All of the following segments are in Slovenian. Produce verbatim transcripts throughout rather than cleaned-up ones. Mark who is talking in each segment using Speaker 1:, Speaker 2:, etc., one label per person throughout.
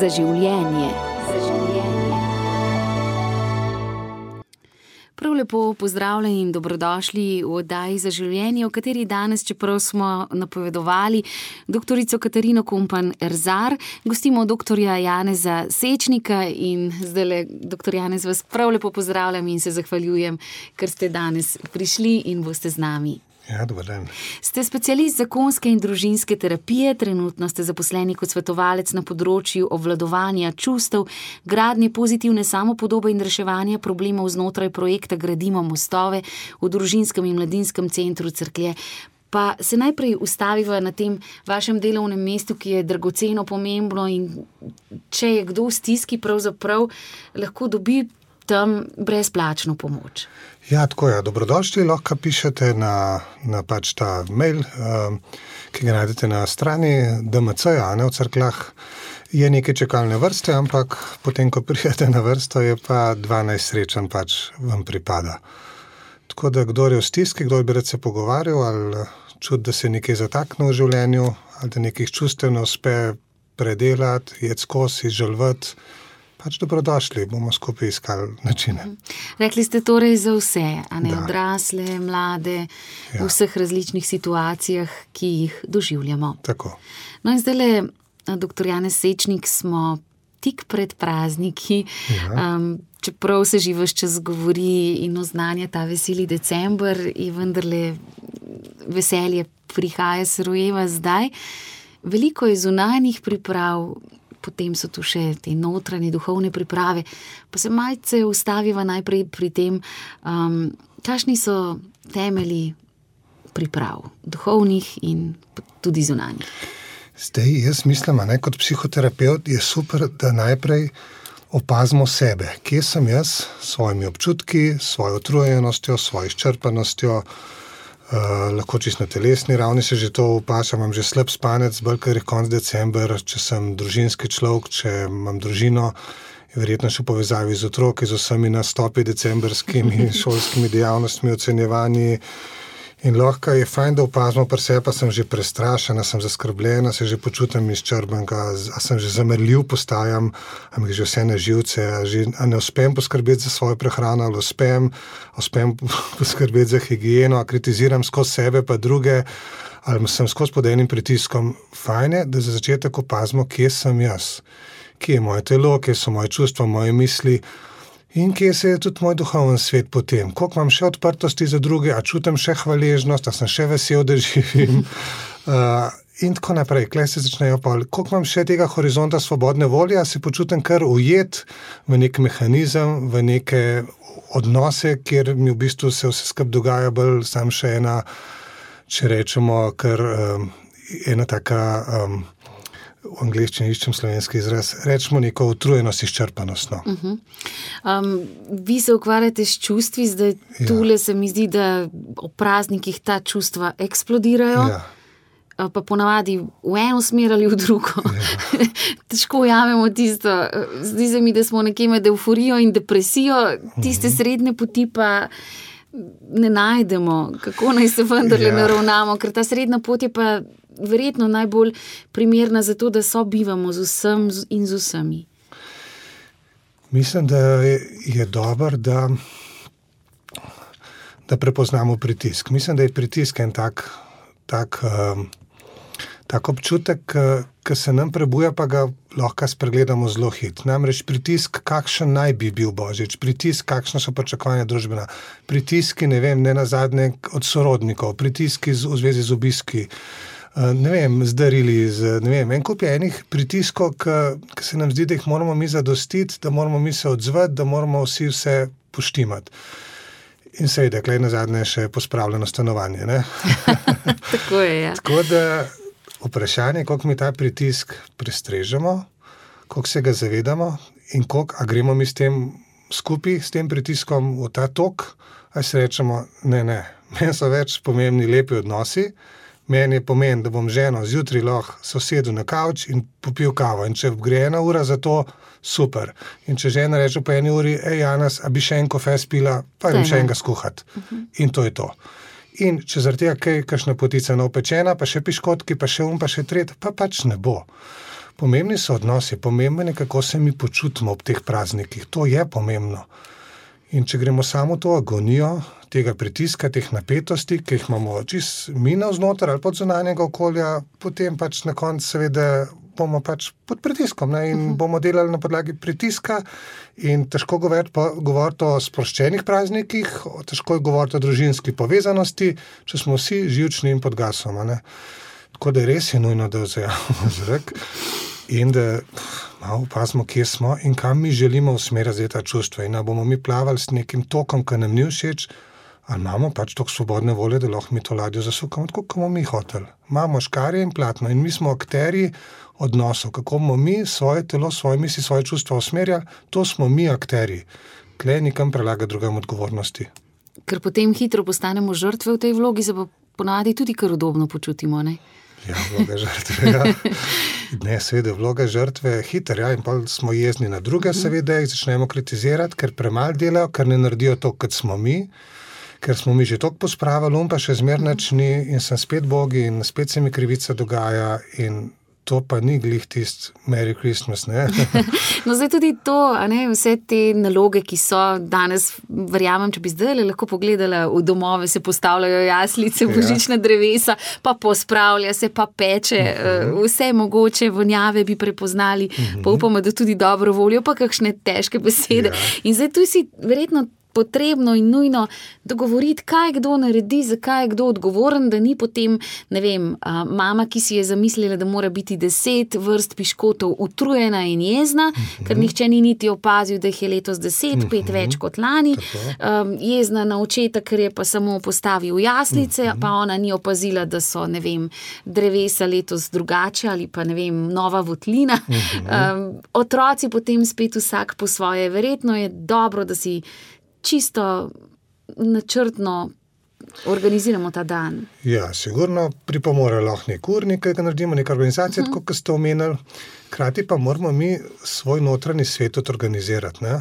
Speaker 1: Za življenje. Prav lepo pozdravljeni in dobrodošli v oddaji Za življenje, v kateri danes, čeprav smo napovedovali doktorico Katarino Kompan Erzar, gostimo doktorja Janeza Sečnika in zdajle, doktor Janez, vas prav lepo pozdravljam in se zahvaljujem, ker ste danes prišli in boste z nami.
Speaker 2: Ja, dober dan.
Speaker 1: Ste specialist zakonske in družinske terapije, trenutno ste zaposleni kot svetovalec na področju obvladovanja čustev, gradnje pozitivne samopodobe in reševanja problemov znotraj projekta Gradimo mostove v družinskem in mladinskem centru Cerklje. Pa se najprej ustaviva na tem vašem delovnem mestu, ki je dragoceno pomembno in če je kdo v stiski, pravzaprav lahko dobi tam brezplačno pomoč.
Speaker 2: Ja, tako je. Dobrodošli, lahko pišete na, na pač ta mail, um, ki ga najdete na strani D M C-ja, ne, v Cerkljah. Je nekaj čakalne vrste, ampak potem, ko pridete na vrsto, je pa dvanajst srečanj pač vam pripada. Tako da, kdor je v stiski, kdor bi rad se pogovarjal, ali čut, da se nekaj zatakne v življenju, ali da nekih čustev ne uspe predelati, jeti skozi, izžalvati, pač dobrodošli, bomo skupaj iskali načine.
Speaker 1: Rekli ste torej za vse, a ne, odrasle, mlade, ja. V vseh različnih situacijah, ki jih doživljamo.
Speaker 2: Tako.
Speaker 1: No in zdajle, doktor Janez Sečnik, smo tik pred prazniki, ja. um, čeprav se že ves čas govori in oznanja ta veseli december in vendarle veselje prihaja, se rojeva zdaj. Veliko je zunanjih priprav, potem so tu še te notranje duhovne priprave, pa se malce ustaviva najprej pri tem, um, kakšni so temelji priprav, duhovnih in tudi zunanjih.
Speaker 2: Zdaj, jaz mislim, ne, kot psihoterapeut je super, da najprej opazimo sebe. Kje sem jaz s svojimi občutki, s svojo utrujenostjo, s svojo izčrpanostjo, Uh, lahko čisto na telesni ravni se že to opažam, imam že slab spanec, bolj ker je konc december, če sem družinski človek, če imam družino, je verjetno še v povezavi z otroki, z vsemi nastopi decembrskimi šolskimi dejavnostmi, ocenjevanji. In lahko je fajn, da opazimo pri sebi, pa sem že prestrašena, sem zaskrbljena, se že počutim izčrbanega, a sem že zamrljiv postajam, a mi že vse na živce, a, že, a ne uspem poskrbeti za svojo prehrano, ali uspem, uspem poskrbeti za higieno, a kritiziram skozi sebe pa druge, ali sem skozi pod enim pritiskom. Fajn je, da za začetek opazimo, kje sem jaz, kje je moje telo, kje so moje čustva, moje misli, in kje se je tudi moj duhoven svet potem. Koliko imam še odprtosti za druge, a čutim še hvaležnost, a sem še vesel, da živim. Uh, in tako naprej. Klej se začnejo pa, koliko imam še tega horizonta svobodne volje, a se počutim kar ujet v nek mehanizem, v neke odnose, kjer mi v bistvu se vse skupaj dogaja bolj sam še ena, če rečemo, kar um, ena taka... Um, v angleščini iščem slovenski izraz, rečemo neko utrujenost, izčrpanost. No.
Speaker 1: Uh-huh. Um, vi se ukvarjate s čustvi, zdaj ja. Tule se mi zdi, da ob praznikih ta čustva eksplodirajo, ja. Pa ponavadi v eno smer ali v drugo. Ja. Težko ujamemo tisto, zdi se mi, da smo nekje med euforijo in depresijo, tiste uh-huh. srednje poti pa ne najdemo, kako naj se vendarle ja. naravnamo, ker ta srednja pot je pa verjetno najbolj primerna za to, da sobivamo z vsem in z vsemi.
Speaker 2: Mislim, da je, je dobro, da, da prepoznamo pritisk. Mislim, da je pritisk en tak, tak, um, tak občutek, ki se nam prebuja, pa ga lahko spregledamo zelo hit. Namreč pritisk, kakšen naj bi bil Božič, pritisk, kakšna so pričakovanja družbena, pritiski, ne vem, ne nazadnje od sorodnikov, pritiski z, v zvezi z obiski, ne vem, z darili, z, ne vem, en kup je enih pritiskov, ki se nam zdi, da jih moramo mi zadostiti, da moramo mi se odzvati, da moramo vsi vse poštimati. In seveda, klej nazadnje še pospravljeno stanovanje, ne?
Speaker 1: Tako je, ja.
Speaker 2: Tako da vprašanje, koliko mi ta pritisk prestrežemo, koliko se ga zavedamo in koliko, a gremo mi s tem skupaj, s tem pritiskom v ta tok, a se rečemo, ne, ne, meni so več pomembni lepi odnosi, meni je pomen, da bom ženo zjutraj lahko sosedu na kavč in popil kavo. In če gre ena ura za to, super. In če žena reče po eni uri, ej Janez, a bi še en kofe spila, pa idem še enega skuhati. Uh-huh. In to je to. In če zaradi tega kaj, kakšna potica neopečena, pa še piškotki, pa še um, pa še tret, pa pač ne bo. Pomembni so odnosi, pomembno je, kako se mi počutimo ob teh praznikih. To je pomembno. In če gremo samo to agonijo, tega pritiska, teh napetosti, ki jih imamo čist mi navznoter ali pod zunanjega okolja, potem pač na koncu seveda bomo pač pod pritiskom, ne? In uh-huh. bomo delali na podlagi pritiska in težko govoriti, govoriti o sproščenih praznikih, težko je govoriti o družinski povezanosti, če smo vsi živčni in pod gasom. Ne? Tako da res je nujno, da vzajamo zrak in da malo opazimo, kje smo in kam mi želimo usmeriti ta čustva. In da bomo mi plavali s nekim tokom, ki nam ni všeč, ali imamo pač toliko svobodne volje, da lahko mi to ladjo zasukamo, tako kot bomo mi hoteli. Imamo škarje in platno in mi smo akterji odnosov, kako bomo mi svoje telo, svoje misli, svoje čustva usmerjali, to smo mi akterji. Tle nikam prelaga drugam odgovornosti.
Speaker 1: Ker potem hitro postanemo žrtve v tej vlogi, se pa ponavadi tudi kar udobno počutimo, ne?
Speaker 2: Ja, vloga žrtve, ja. Ne, seveda, vloga žrtve je hiter, ja, in pa smo jezni na druge, seveda, jih začnemo kritizirati, ker premalo delajo, ker ne naredijo to, kot smo mi, ker smo mi že toliko pospravili, um pa še zmernač ni in sem spet bogi in spet se mi krivica dogaja in to pa ni glih tist Merry Christmas, ne?
Speaker 1: No, zdaj tudi to, a ne, vse te naloge, ki so danes, verjamem, če bi zdaj lahko pogledala v domove, se postavljajo jaslice,
Speaker 2: Ja.
Speaker 1: božična drevesa, pa pospravlja se, pa peče, uh-huh. vse mogoče vonjave bi prepoznali, uh-huh. pa upamo, da tudi dobro voljo, pa kakšne težke besede.
Speaker 2: Ja.
Speaker 1: In zdaj tu si verjetno potrebno in nujno dogovoriti, kaj kdo naredi, zakaj je kdo odgovoren, da ni potem, ne vem, a, mama, ki si je zamislila, da mora biti deset vrst piškotov utrujena in jezna, uh-huh. ker nihče ni niti opazil, da jih je letos deset, uh-huh. pet več kot lani, um, jezna na očeta, ker je pa samo postavil jaslice, uh-huh. pa ona ni opazila, da so, ne vem, drevesa letos drugače ali pa, ne vem, nova votlina. Uh-huh. Um, otroci potem spet vsak po svoje. Verjetno je dobro, da si čisto načrtno organiziramo ta dan.
Speaker 2: Ja, sigurno pripomore lahko nek urnik, ki ga naredimo, neka organizacija, uh-huh. tako kot ste omenili. Krati pa moramo mi svoj notranji svet organizirati. Ne?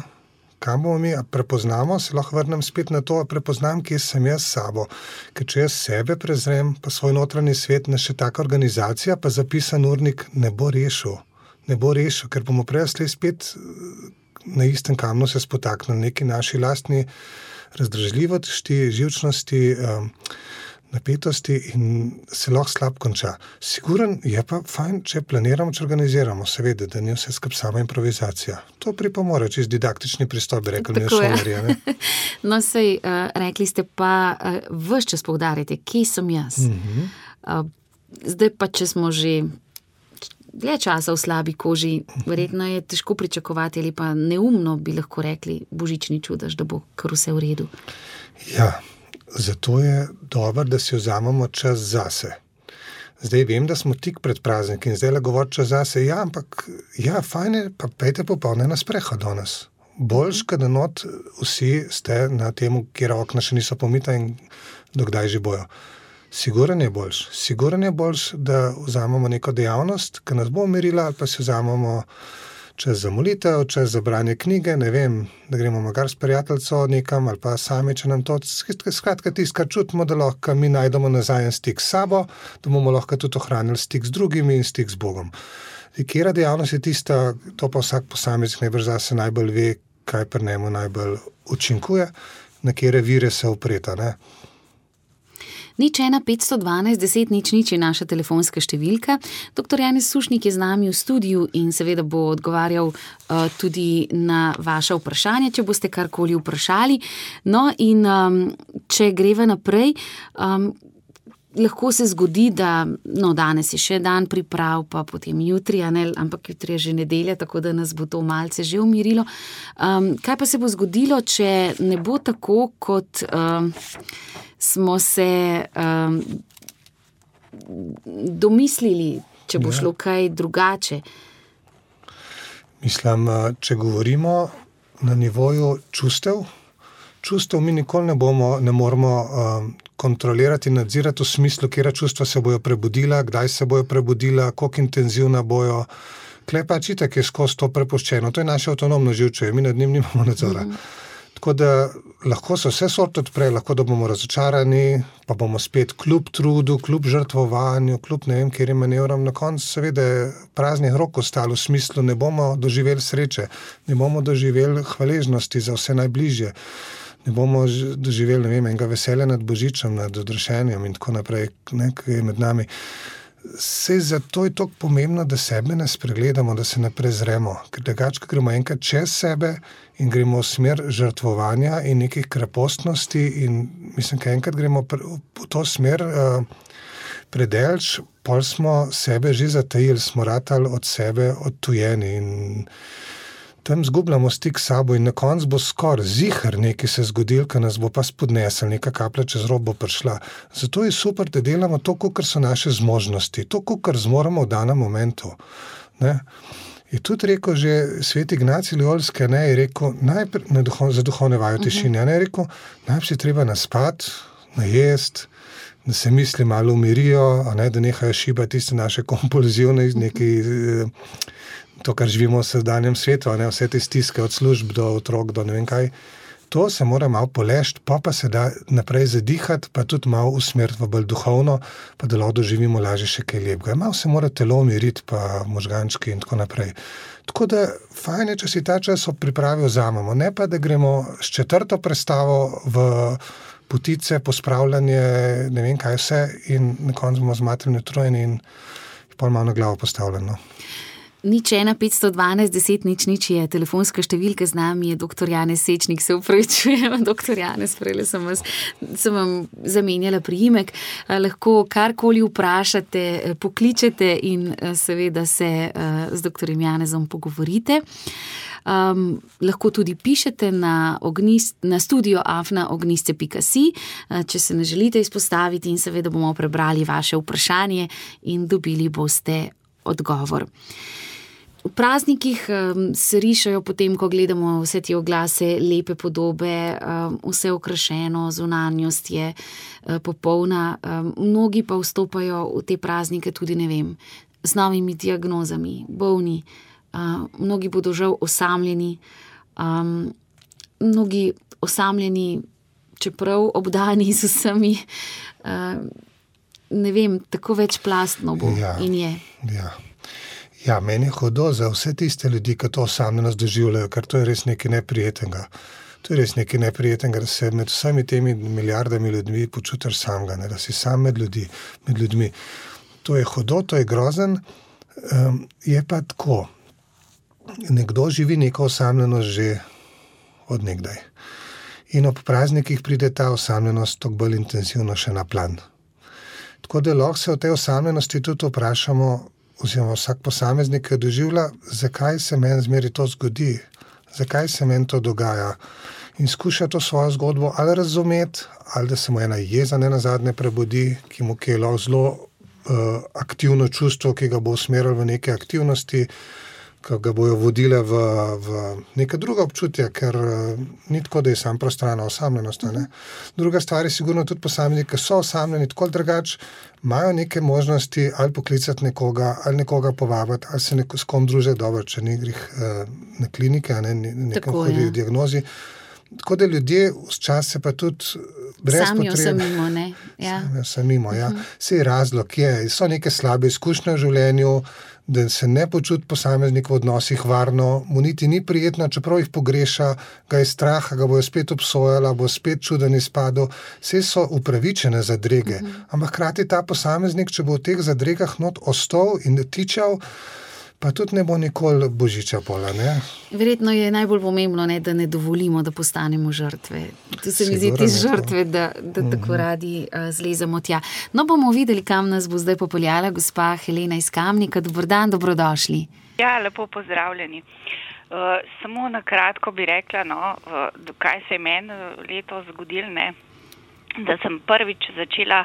Speaker 2: Kam bomo mi prepoznamo, se lahko vrnem spet na to, prepoznam, kje sem jaz s sabo. Ker če jaz sebe prezrem, pa svoj notranji svet, ne še taka organizacija, pa zapisan urnik ne bo rešil. Ne bo rešil, ker bomo prej spet na istem kamnu se spotaknili neki naši lastni razdražljivosti, živčnosti, um, napetosti in se lahko slab konča. Siguren je pa fajn, če planiramo, če organiziramo, seveda, da ni vse skup sama improvizacija. To pripomore, čist didaktični pristop, bi rekli mi v šolarje.
Speaker 1: No, sej, uh, rekli ste pa, uh, ves čas poudarite, kje sem jaz. Uh-huh. Uh, zdaj pa, če smo že dlje časa v slabi koži, verjetno je težko pričakovati ali pa neumno bi lahko rekli božični čudež, da bo kar vse v redu.
Speaker 2: Ja, zato je dobro, da si vzamemo čas zase. Zdaj vem, da smo tik pred prazniki in zdaj le govoriti čas zase, ja, ampak ja, fajn je, pa pejte popolne na sprehod danes. Boljš, kad not vsi ste na temu, kjer okna še niso pomita in dokdaj že bojo. Siguren je boljš. Siguren je boljš, da vzamemo neko dejavnost, ki nas bo umirila, ali pa si vzamemo čas za molitev, čas za branje knjige, ne vem, da gremo magar s prijateljco nekam, ali pa sami, če nam to, skratka tisto, kar čutimo, da lahko mi najdemo nazaj stik s sabo, da bomo lahko tudi ohranili stik z drugimi in stik z Bogom. Kjera dejavnost je tista, to pa vsak posameznik najbrž zase najbolj ve, kaj pri njemu najbolj učinkuje, na kjere vire se upreta, ne?
Speaker 1: Nič ena petsto dvanajst deset nič nič je naša telefonska številka. Doktor Janez Sušnik je z nami v studiu in seveda bo odgovarjal uh, tudi na vaše vprašanje, če boste karkoli vprašali. No in um, če greva naprej, um, lahko se zgodi, da no, danes je še dan priprav, pa potem jutri, ne, ampak jutri je že nedelja, tako da nas bo to malce že umirilo. Um, kaj pa se bo zgodilo, če ne bo tako, kot um, smo se um, domislili, če bo šlo kaj drugače?
Speaker 2: Mislim, če govorimo na nivoju čustev, čustev mi nikoli ne bomo, ne moramo um, kontrolirati in nadzirati v smislu, kjera čustva se bojo prebudila, kdaj se bojo prebudila, koliko intenzivna bojo. Klej pa čitak je skozi to prepuščeno. To je naše avtonomno živčevje, mi nad njim nimamo nadzora. Mm. Tako da lahko se vse sort odpre, lahko da bomo razočarani, pa bomo spet kljub trudu, kljub žrtvovanju, kljub ne vem, kjer je manevram, na koncu seveda praznih rok ostalo v smislu, ne bomo doživeli sreče, ne bomo doživeli hvaležnosti za vse najbližje, ne bomo doživeli, ne vem, enega veselja nad Božičem, nad odrešenjem in tako naprej, ne, ki je med nami. Sej zato je toliko pomembno, da sebe ne spregledamo, da se ne prezremo, ker drugače gremo enkrat čez sebe in gremo v smer žrtvovanja in nekih krepostnosti in mislim, da enkrat gremo v to smer uh, predelč, pol smo sebe že zatajili, smo ratali od sebe odtujeni in tam zgubljamo stik s sabo in na koncu bo skoraj ziher nekaj se zgodil, ki nas bo pa spodnesel, neka kaplja čez rob bo prišla. Zato je super, da delamo to, kakor so naše zmožnosti, to, kakor zmoremo v danem momentu. Ne? Je tudi rekel že svet Ignacij Loyolski, ne, je rekel, najprej, na duho, za duhovne vaje v tišini, ne, je rekel, najprej si treba naspati, najest, da se misli malo umirijo, a ne, da nehajo šibati tiste naše kompulzivne iz neki... To, kar živimo v sedanjem svetu, ne, vse te stiske od služb do otrok, do ne vem kaj, to se mora malo polešti, pa pa se da naprej zadihati, pa tudi malo usmeriti v bolj duhovno, pa da lahko doživimo lažje še kaj lepega. Malo se mora telo umiriti, pa možgančki in tako naprej. Tako da fajn je, če si ta čas pripravi vzamemo, ne pa, da gremo s četrto predstavo v potice, pospravljanje, ne vem kaj vse in na koncu bomo zmatreni utrujeni in pol malo na glavo postavljeno.
Speaker 1: Nič ena, petsto dvanajst, deset, nič, nič je telefonska številka, z nami je doktor Janez Sečnik, se upravičujem, doktor Janez, prejle sem, vas, sem vam zamenjala priimek, lahko karkoli vprašate, pokličete in seveda se z doktorjem Janezom pogovorite. Um, lahko tudi pišete na, ognist, na studio afna ognistce pika si, če se ne želite izpostaviti in seveda bomo prebrali vaše vprašanje in dobili boste odgovor. V praznikih um, se rišajo potem, ko gledamo vse te oglase, lepe podobe, um, vse okrašeno, zunanjost je uh, popolna. Um, mnogi pa vstopajo v te praznike tudi, ne vem, z novimi diagnozami, bolni. Uh, mnogi bodo žal osamljeni, um, mnogi osamljeni, čeprav obdani z vsemi, uh, ne vem, tako večplastno bo
Speaker 2: ja,
Speaker 1: in je.
Speaker 2: Ja. Ja, meni je hudo za vse tiste ljudi, ki to osamljenost doživljajo, ker to je res nekaj neprijetnega. To je res nekaj neprijetnega, da se med vsemi temi milijardami ljudmi počutiš samega, ne, da si sam med, ljudi, med ljudmi. To je hudo, to je grozen, um, je pa tako. Nekdo živi neko osamljenost že od nekdaj. In ob praznikih pride ta osamljenost toliko bolj intenzivno še na plan. Tako da lahko se o tej osamljenosti tudi vprašamo, oziroma vsak posameznik, ki doživlja, zakaj se meni zmeri to zgodi, zakaj se meni to dogaja. In skuša to svojo zgodbo ali razumeti, ali da se mu ena jeza ne nazadnje prebudi, ki mu je lahko zelo uh, aktivno čustvo, ki ga bo usmeril v neke aktivnosti, ki ga bojo vodile v, v neka druga občutja, ker uh, ni tako, da je sam prostrana osamljenost. Ne? Druga stvar je sigurno tudi posamezniki, ki so osamljeni, tako drugače, imajo neke možnosti ali poklicati nekoga, ali nekoga povabiti, ali se neko, s kom družiti dobro, če ni grih uh, na klinike, ne, nekem hodi v diagnozi. Tako da ljudje včasih se pa tudi brez
Speaker 1: Samijo
Speaker 2: potrebe...
Speaker 1: samimo, ne? Ja.
Speaker 2: Samijo samimo, ja. Uh-huh. Sej razlog je, so neke slabe izkušnje v življenju, da se ne počuti posameznik v odnosih varno, mu niti ni prijetno, čeprav jih pogreša, ga je strah, ga bojo spet obsojala, bo spet čuden izpadel, vse so upravičene zadrege. Uh-huh. Ampak hkrati ta posameznik, če bo v teh zadregah not ostal in tičal, pa tudi ne bo nikoli božiča pola, ne?
Speaker 1: Verjetno je najbolj pomembno, ne, da ne dovolimo, da postanemo žrtve. Tu se mi zdi te žrtve, da, da tako mm-hmm. radi uh, zlezemo tja. No, bomo videli, kam nas bo zdaj popeljala gospa Helena iz Kamnika. Dober dan, dobrodošli.
Speaker 3: Ja, lepo pozdravljeni. Uh, samo na kratko bi rekla, no, uh, kaj se je meni letos zgodilo, ne, da sem prvič začela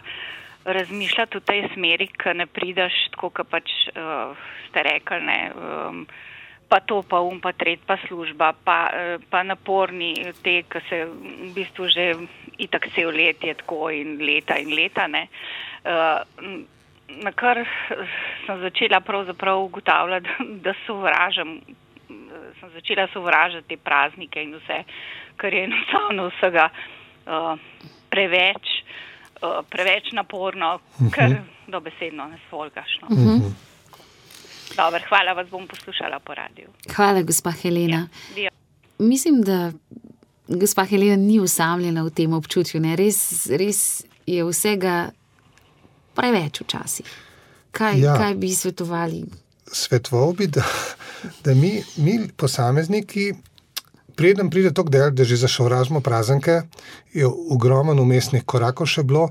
Speaker 3: razmišljati v tej smeri, ko ne prideš tako, kot pač uh, ste rekli, ne, um, pa to, pa um, pa tret, pa služba, pa, uh, pa naporni te, ki se v bistvu že itak cel let je tako in leta in leta, ne. Uh, na kar sem začela pravzaprav ugotavljati, da sovražam sem začela sovražiti te praznike in vse, kar je enostavno vsega uh, preveč, uh, preveč naporno, uh-huh. kar dobesedno ne sfolgaš. No. Uh-huh. Dobar, hvala, vas bom poslušala po radiju.
Speaker 1: Hvala, gospa Helena.
Speaker 3: Ja,
Speaker 1: mislim, da gospa Helena ni usamljena v tem občutju. Ne? Res, res je vsega preveč včasih. Kaj, ja. kaj bi svetovali?
Speaker 2: Svetoval bi, da, da mi, mi posamezniki, preden pride to del, da že zašovražimo praznike, je ogromen umestnih korakov še bilo,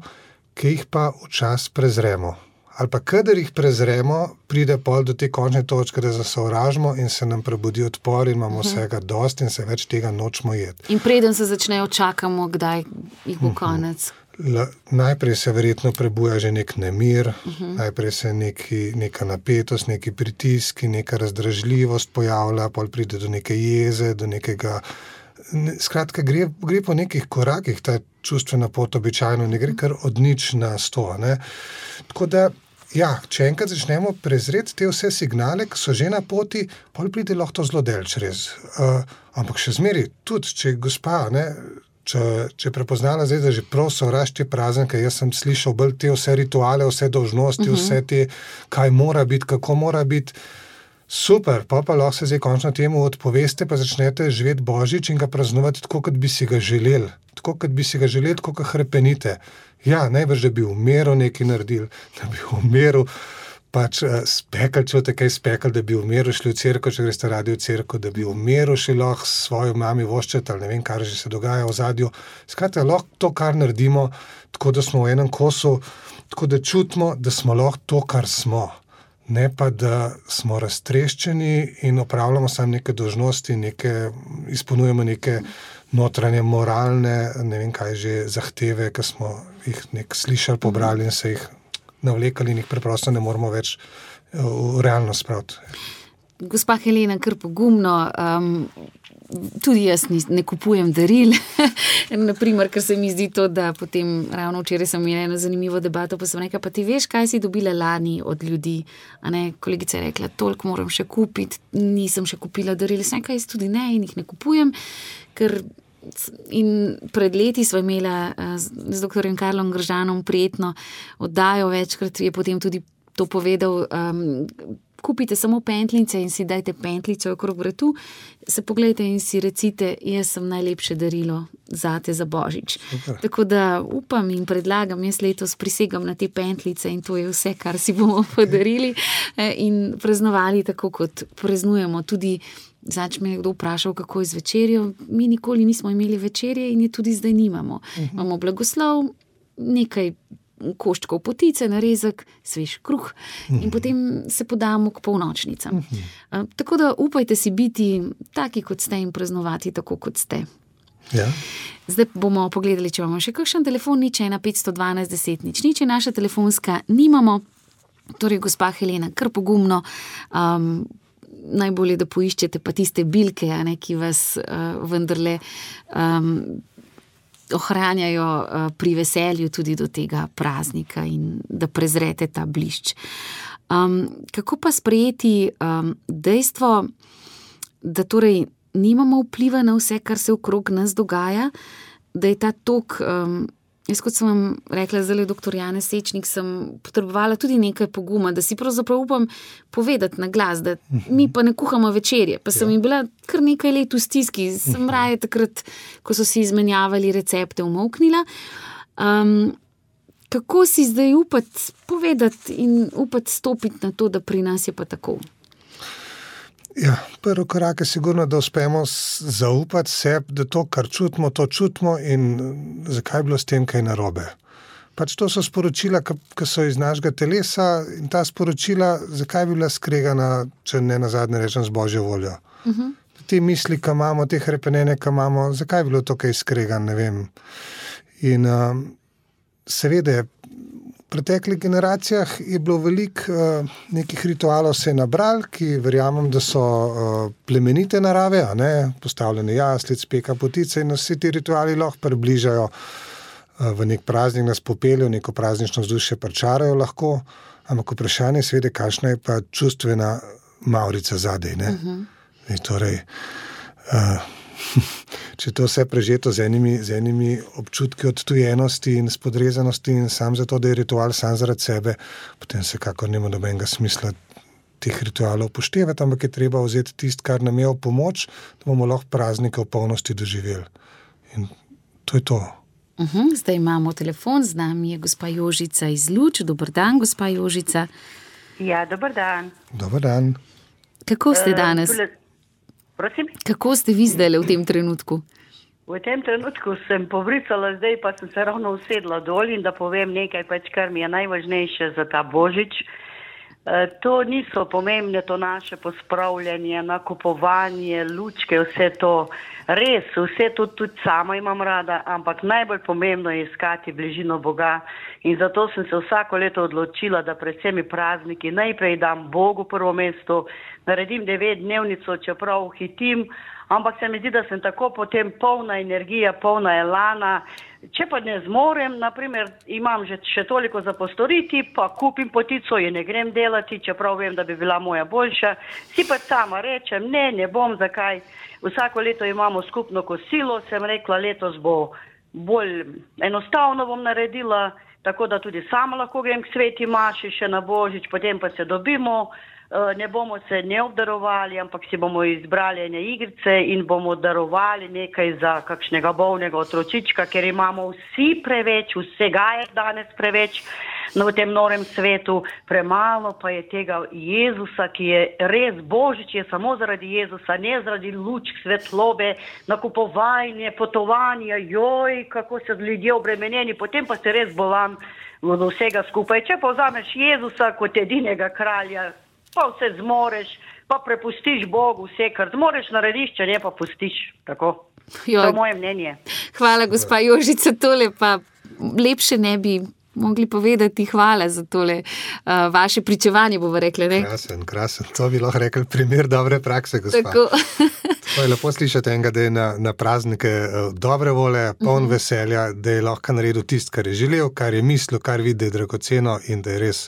Speaker 2: ki jih pa včas prezremo. Ali pa kadar jih prezremo, pride pol do te končne točke, da zasovražimo in se nam prebudi odpor in imamo uh-huh. vsega dost in se več tega nočemo jeti.
Speaker 1: In preden se začnejo, čakamo, kdaj jih bo uh-huh. konec.
Speaker 2: La, najprej se verjetno prebuja že nek nemir, uh-huh. najprej se neki, neka napetost, neki pritiski, neka razdražljivost pojavlja, pol pride do neke jeze, do nekega... Ne, skratka, gre, gre po nekih korakih, ta čustvena pot običajno ne gre kar od nič na sto. Ne? Tako da, ja, če enkrat začnemo prezreti te vse signale, ki so že na poti, pol pride lahko to zelo delč res. Uh, ampak še zmeri, tudi če gospa, ne, če, če je prepoznala zdaj, da že prav sovraž te praznike, jaz sem slišal bolj te vse rituale, vse dolžnosti, uh-huh. vse te, kaj mora biti, kako mora biti. Super, pa pa lahko se zdaj končno temu odpoveste, pa začnete živeti Božič in ga praznovati tako, kot bi si ga želeli. Tako, kot bi si ga želeli, tako, kot hrepenite. Ja, najbrž, da bi v miru nekaj naredili, da bi v miru pač uh, spekali, če boste kaj spekali, da bi v miru šli v cerkev, če greste radi v cerkev, da bi v miru šli lahko svojo mami voščeti, ali ne vem, kar že se dogaja v zadju. Skratka, lahko to, kar naredimo, tako da smo v enem kosu, tako da čutimo, da smo lahko to, kar smo. Ne pa, da smo raztreščeni in opravljamo samo neke dolžnosti, neke, izpolnjujemo neke notranje moralne, ne vem kaj že, zahteve, ki smo jih nek slišali, pobrali in se jih navlekali in jih preprosto ne moramo več v realnost spraviti.
Speaker 1: Gospa Helena, kar pogumno, um, tudi jaz ni, ne kupujem daril, naprimer, ker se mi zdi to, da potem ravno včeraj sem imela eno zanimivo debato, pa sem rekla, pa ti veš, kaj si dobila lani od ljudi, a ne, kolegica je rekla, toliko moram še kupiti, nisem še kupila daril, sem rekla, jaz tudi ne in jih ne kupujem, ker in pred leti sva imela z doktorjem Karlom Gržanom prijetno oddajo, večkrat je potem tudi to povedal, um, kupite samo pentlice in si dajte pentlico okrog vratu, se pogledajte in si recite, jaz sem najlepše darilo zate za Božič. Super. Tako da upam in predlagam, jaz letos prisegam na te pentlice in to je vse, kar si bomo podarili in praznovali tako, kot praznujemo. Tudi Zač me je kdo vprašal, kako je z večerjo. Mi nikoli nismo imeli večerje in je tudi zdaj nimamo. Uh-huh. Imamo blagoslov, nekaj koščkov potice, narezek, svež kruh in potem se podamo k polnočnicam. Uh, tako da upajte si biti taki, kot ste in praznovati tako, kot ste.
Speaker 2: Ja.
Speaker 1: Zdaj bomo pogledali, če imamo še kakšen telefon, nič ena petsto dvanajst deset nič nič, naša telefonska nimamo. Torej, gospa Helena, kar pogumno, um, najbolje, da poiščete pa tiste bilke, a ne, ki vas uh, vendarle um, ohranjajo uh, pri veselju tudi do tega praznika in da prezrete ta blišč. Um, kako pa sprejeti um, dejstvo, da torej nimamo vpliva na vse, kar se okrog nas dogaja, da je ta tok, um, jaz kot sem vam rekla, zdaj doktor Janez Sečnik, sem potrebovala tudi nekaj poguma, da si pravzaprav upam povedati na glas, da mi pa ne kuhamo večerje, pa sem ja. jim bila kar nekaj let v stiski, sem raje takrat, ko so si izmenjavali recepte, umolknila. Um, kako si zdaj upati povedati in upati stopiti na to, da pri nas je pa tako?
Speaker 2: Ja, prvi korak je sigurno, da uspemo zaupati sebi, da to, kar čutimo, to čutimo in zakaj je bilo s tem kaj narobe. Pač to so sporočila, ki so iz našega telesa in ta sporočila, zakaj bi bila skregana, če ne nazadnje rečem, z Božjo voljo. Uh-huh. Te misli, ki imamo, te hrepenene, ki imamo, zakaj je bilo to kaj skregan, ne vem. In um, seveda, v preteklih generacijah je bilo veliko uh, nekih ritualov se nabral, ki verjamem, da so uh, plemenite narave, a ne, postavljene jaslic, peka potice in vsi ti rituali lahko približajo uh, v nek praznik, nas popeljo, neko praznično vzdušje pričarajo lahko, ampak vprašanje seveda, kakšna je pa čustvena mavrica zadej, ne? Uh-huh. In torej, uh, če to vse prežeto z enimi, z enimi občutki odtujenosti in spodrezanosti in sam zato, da je ritual sam zaradi sebe, potem se kakor nima nobenega smisla teh ritualov upoštevati, ampak je treba vzeti tisto, kar nam je v pomoč, da bomo lahko praznike v polnosti doživeli. In to je to.
Speaker 1: Uhum, zdaj imamo telefon, z nami je gospa Jožica iz Luč. Dober dan, gospa Jožica.
Speaker 4: Ja, dober dan.
Speaker 2: Dober dan.
Speaker 1: Kako ste danes?
Speaker 4: Uh, tule, prosim?
Speaker 1: Kako ste vi zdaj v tem trenutku?
Speaker 4: V tem trenutku sem povricala, zdaj pa sem se ravno usedla dol in da povem nekaj, pač, kar mi je najvažnejše za ta Božič. Uh, to niso pomembne, to naše pospravljanje, nakupovanje, lučke, vse to. Res, vse to tudi sama imam rada, ampak najbolj pomembno je iskati bližino Boga. In zato sem se vsako leto odločila, da pred vsemi prazniki najprej dam Bogu prvo mesto, naredim devetdnevnico, čeprav hitim, ampak se mi zdi, da sem tako potem polna energija, polna elana. Če pa ne zmorem, naprimer, imam že še toliko za postoriti, pa kupim potico in ne grem delati, čeprav vem, da bi bila moja boljša. Si pa sama rečem, ne, ne bom, zakaj. Vsako leto imamo skupno kosilo, sem rekla, letos bo bolj enostavno bom naredila, tako da tudi sama lahko grem k sveti maši še na Božič, potem pa se dobimo. Ne bomo se ne obdarovali, ampak si bomo izbrali ene igrice in bomo darovali nekaj za kakšnega bolnega otročička, ker imamo vsi preveč, vsega je danes preveč v tem norem svetu, premalo pa je tega Jezusa, ki je res Božič, je samo zaradi Jezusa, ne zaradi lučk, svetlobe, nakupovanje, potovanja, joj, kako so ljudje obremenjeni, potem pa se res bolam od vsega skupaj. Če pa vzameš Jezusa kot edinega kralja, pa vse zmoreš, pa prepustiš Bogu vse, kar zmoreš narediš, če ne pa pustiš. Tako. To je moje mnenje.
Speaker 1: Hvala, gospa Jožica, tole pa lepše ne bi mogli povedati. Hvala za tole uh, vaše pričevanje, bomo rekli, ne?
Speaker 2: Krasen, krasen. To bi lahko rekli primer dobre prakse, gospa.
Speaker 1: Tako.
Speaker 2: To je lepo slišati enega, da je na, na praznike dobre vole, poln uh-huh. veselja, da je lahko naredil tisto, kar je želel, kar je mislil, kar vidi, da je dragoceno in da je res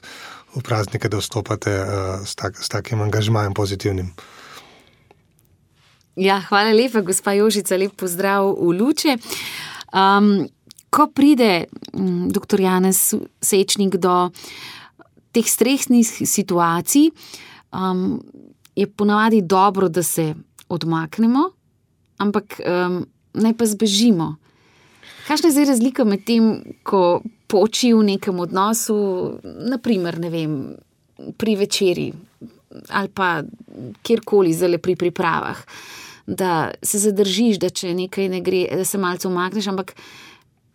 Speaker 2: v praznike, da vstopate uh, s, tak, s takim angažmajem pozitivnim.
Speaker 1: Ja, hvala lepa, gospa Jožica, lep pozdrav v Luče. Um, ko pride um, doktor Janez Sečnik do teh stresnih situacij, um, je ponavadi dobro, da se odmaknemo, ampak um, naj pa zbežimo. Kakšna je zdaj razlika med tem, ko poči v nekem odnosu, naprimer, ne vem, pri večeri ali pa kjerkoli zdaj pri pripravah, da se zadržiš, da če nekaj ne gre, da se malce umakneš, ampak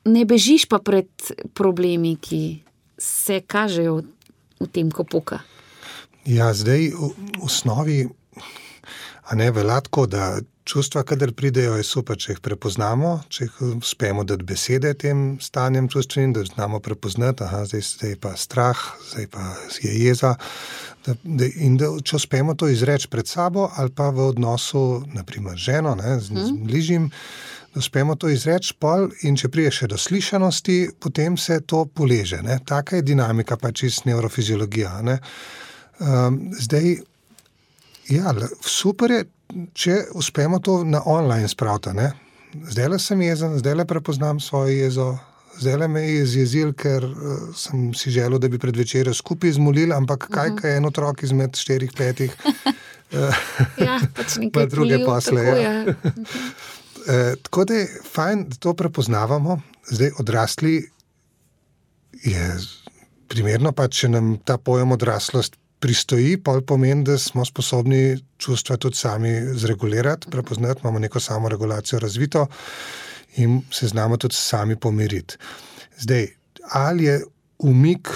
Speaker 1: ne bežiš pa pred problemi, ki se kažejo v tem, ko poka.
Speaker 2: Ja, zdaj v osnovi, a ne velja tako, da čustva, kadar pridejo, je super, če jih prepoznamo, če jih uspemo dati besede tem stanjem čustvenim, da znamo prepoznati, aha, zdaj, zdaj pa strah, zdaj pa je jeza, da, da, in da če uspemo to izreči pred sabo ali pa v odnosu, naprimer ženo, ne, z, z bližjim, da uspemo to izreči pol in če prije še do slišanosti, potem se to poleže. Ne. Taka je dinamika, pa čist nevrofiziologija. Ne. Um, zdaj, ja, super je, če uspemo to na online spraviti, ne. Zdajle sem jezen, zdajle prepoznam svojo jezo, zdajle me je zjezil, ker uh, sem si želel, da bi pred večerjo skupaj zmolil, ampak kaj, uh-huh. kaj je en otrok izmed štirih, petih,
Speaker 1: ja, pač nekaj
Speaker 2: pa druge
Speaker 1: polil,
Speaker 2: posle.
Speaker 1: Tako,
Speaker 2: ja.
Speaker 1: ja.
Speaker 2: e, tako da je fajn, da to prepoznavamo. Zdaj odrasli je primerno, pa če nam ta pojem odraslost pristoji, pol pomeni, da smo sposobni čustva tudi sami zregulirati, prepoznati, imamo neko samoregulacijo razvito in se znamo tudi sami pomiriti. Zdaj, ali je umik,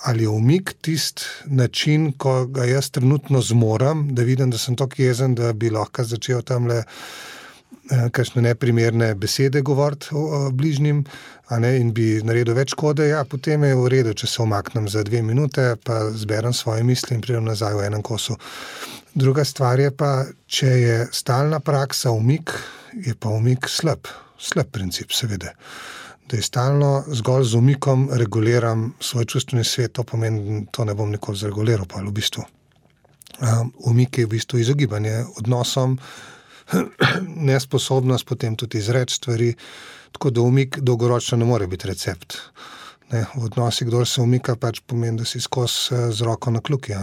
Speaker 2: ali je umik tist način, ko ga jaz trenutno zmoram, da vidim, da sem tako jezen, da bi lahko začel tamle eh, kakšne neprimerne besede govoriti o, o bližnjim, a ne, in bi naredil več škode, ja, potem je v redu, če se umaknem za dve minute, pa zberem svoje misli in pridem nazaj v enem kosu. Druga stvar je pa, če je stalna praksa umik, je pa umik slab, slab princip, seveda. Da je stalno zgolj z umikom reguliram svoj čustveni svet, to pomeni, to ne bom nikoli zreguliral, pa v bistvu. Um, umik je v bistvu izogibanje odnosom, nesposobnost potem tudi izreči stvari, tako da umik dolgoročno ne more biti recept. Ne, v odnosih, kdor se umika, pač pomeni, da si skozi z roko na kljuki.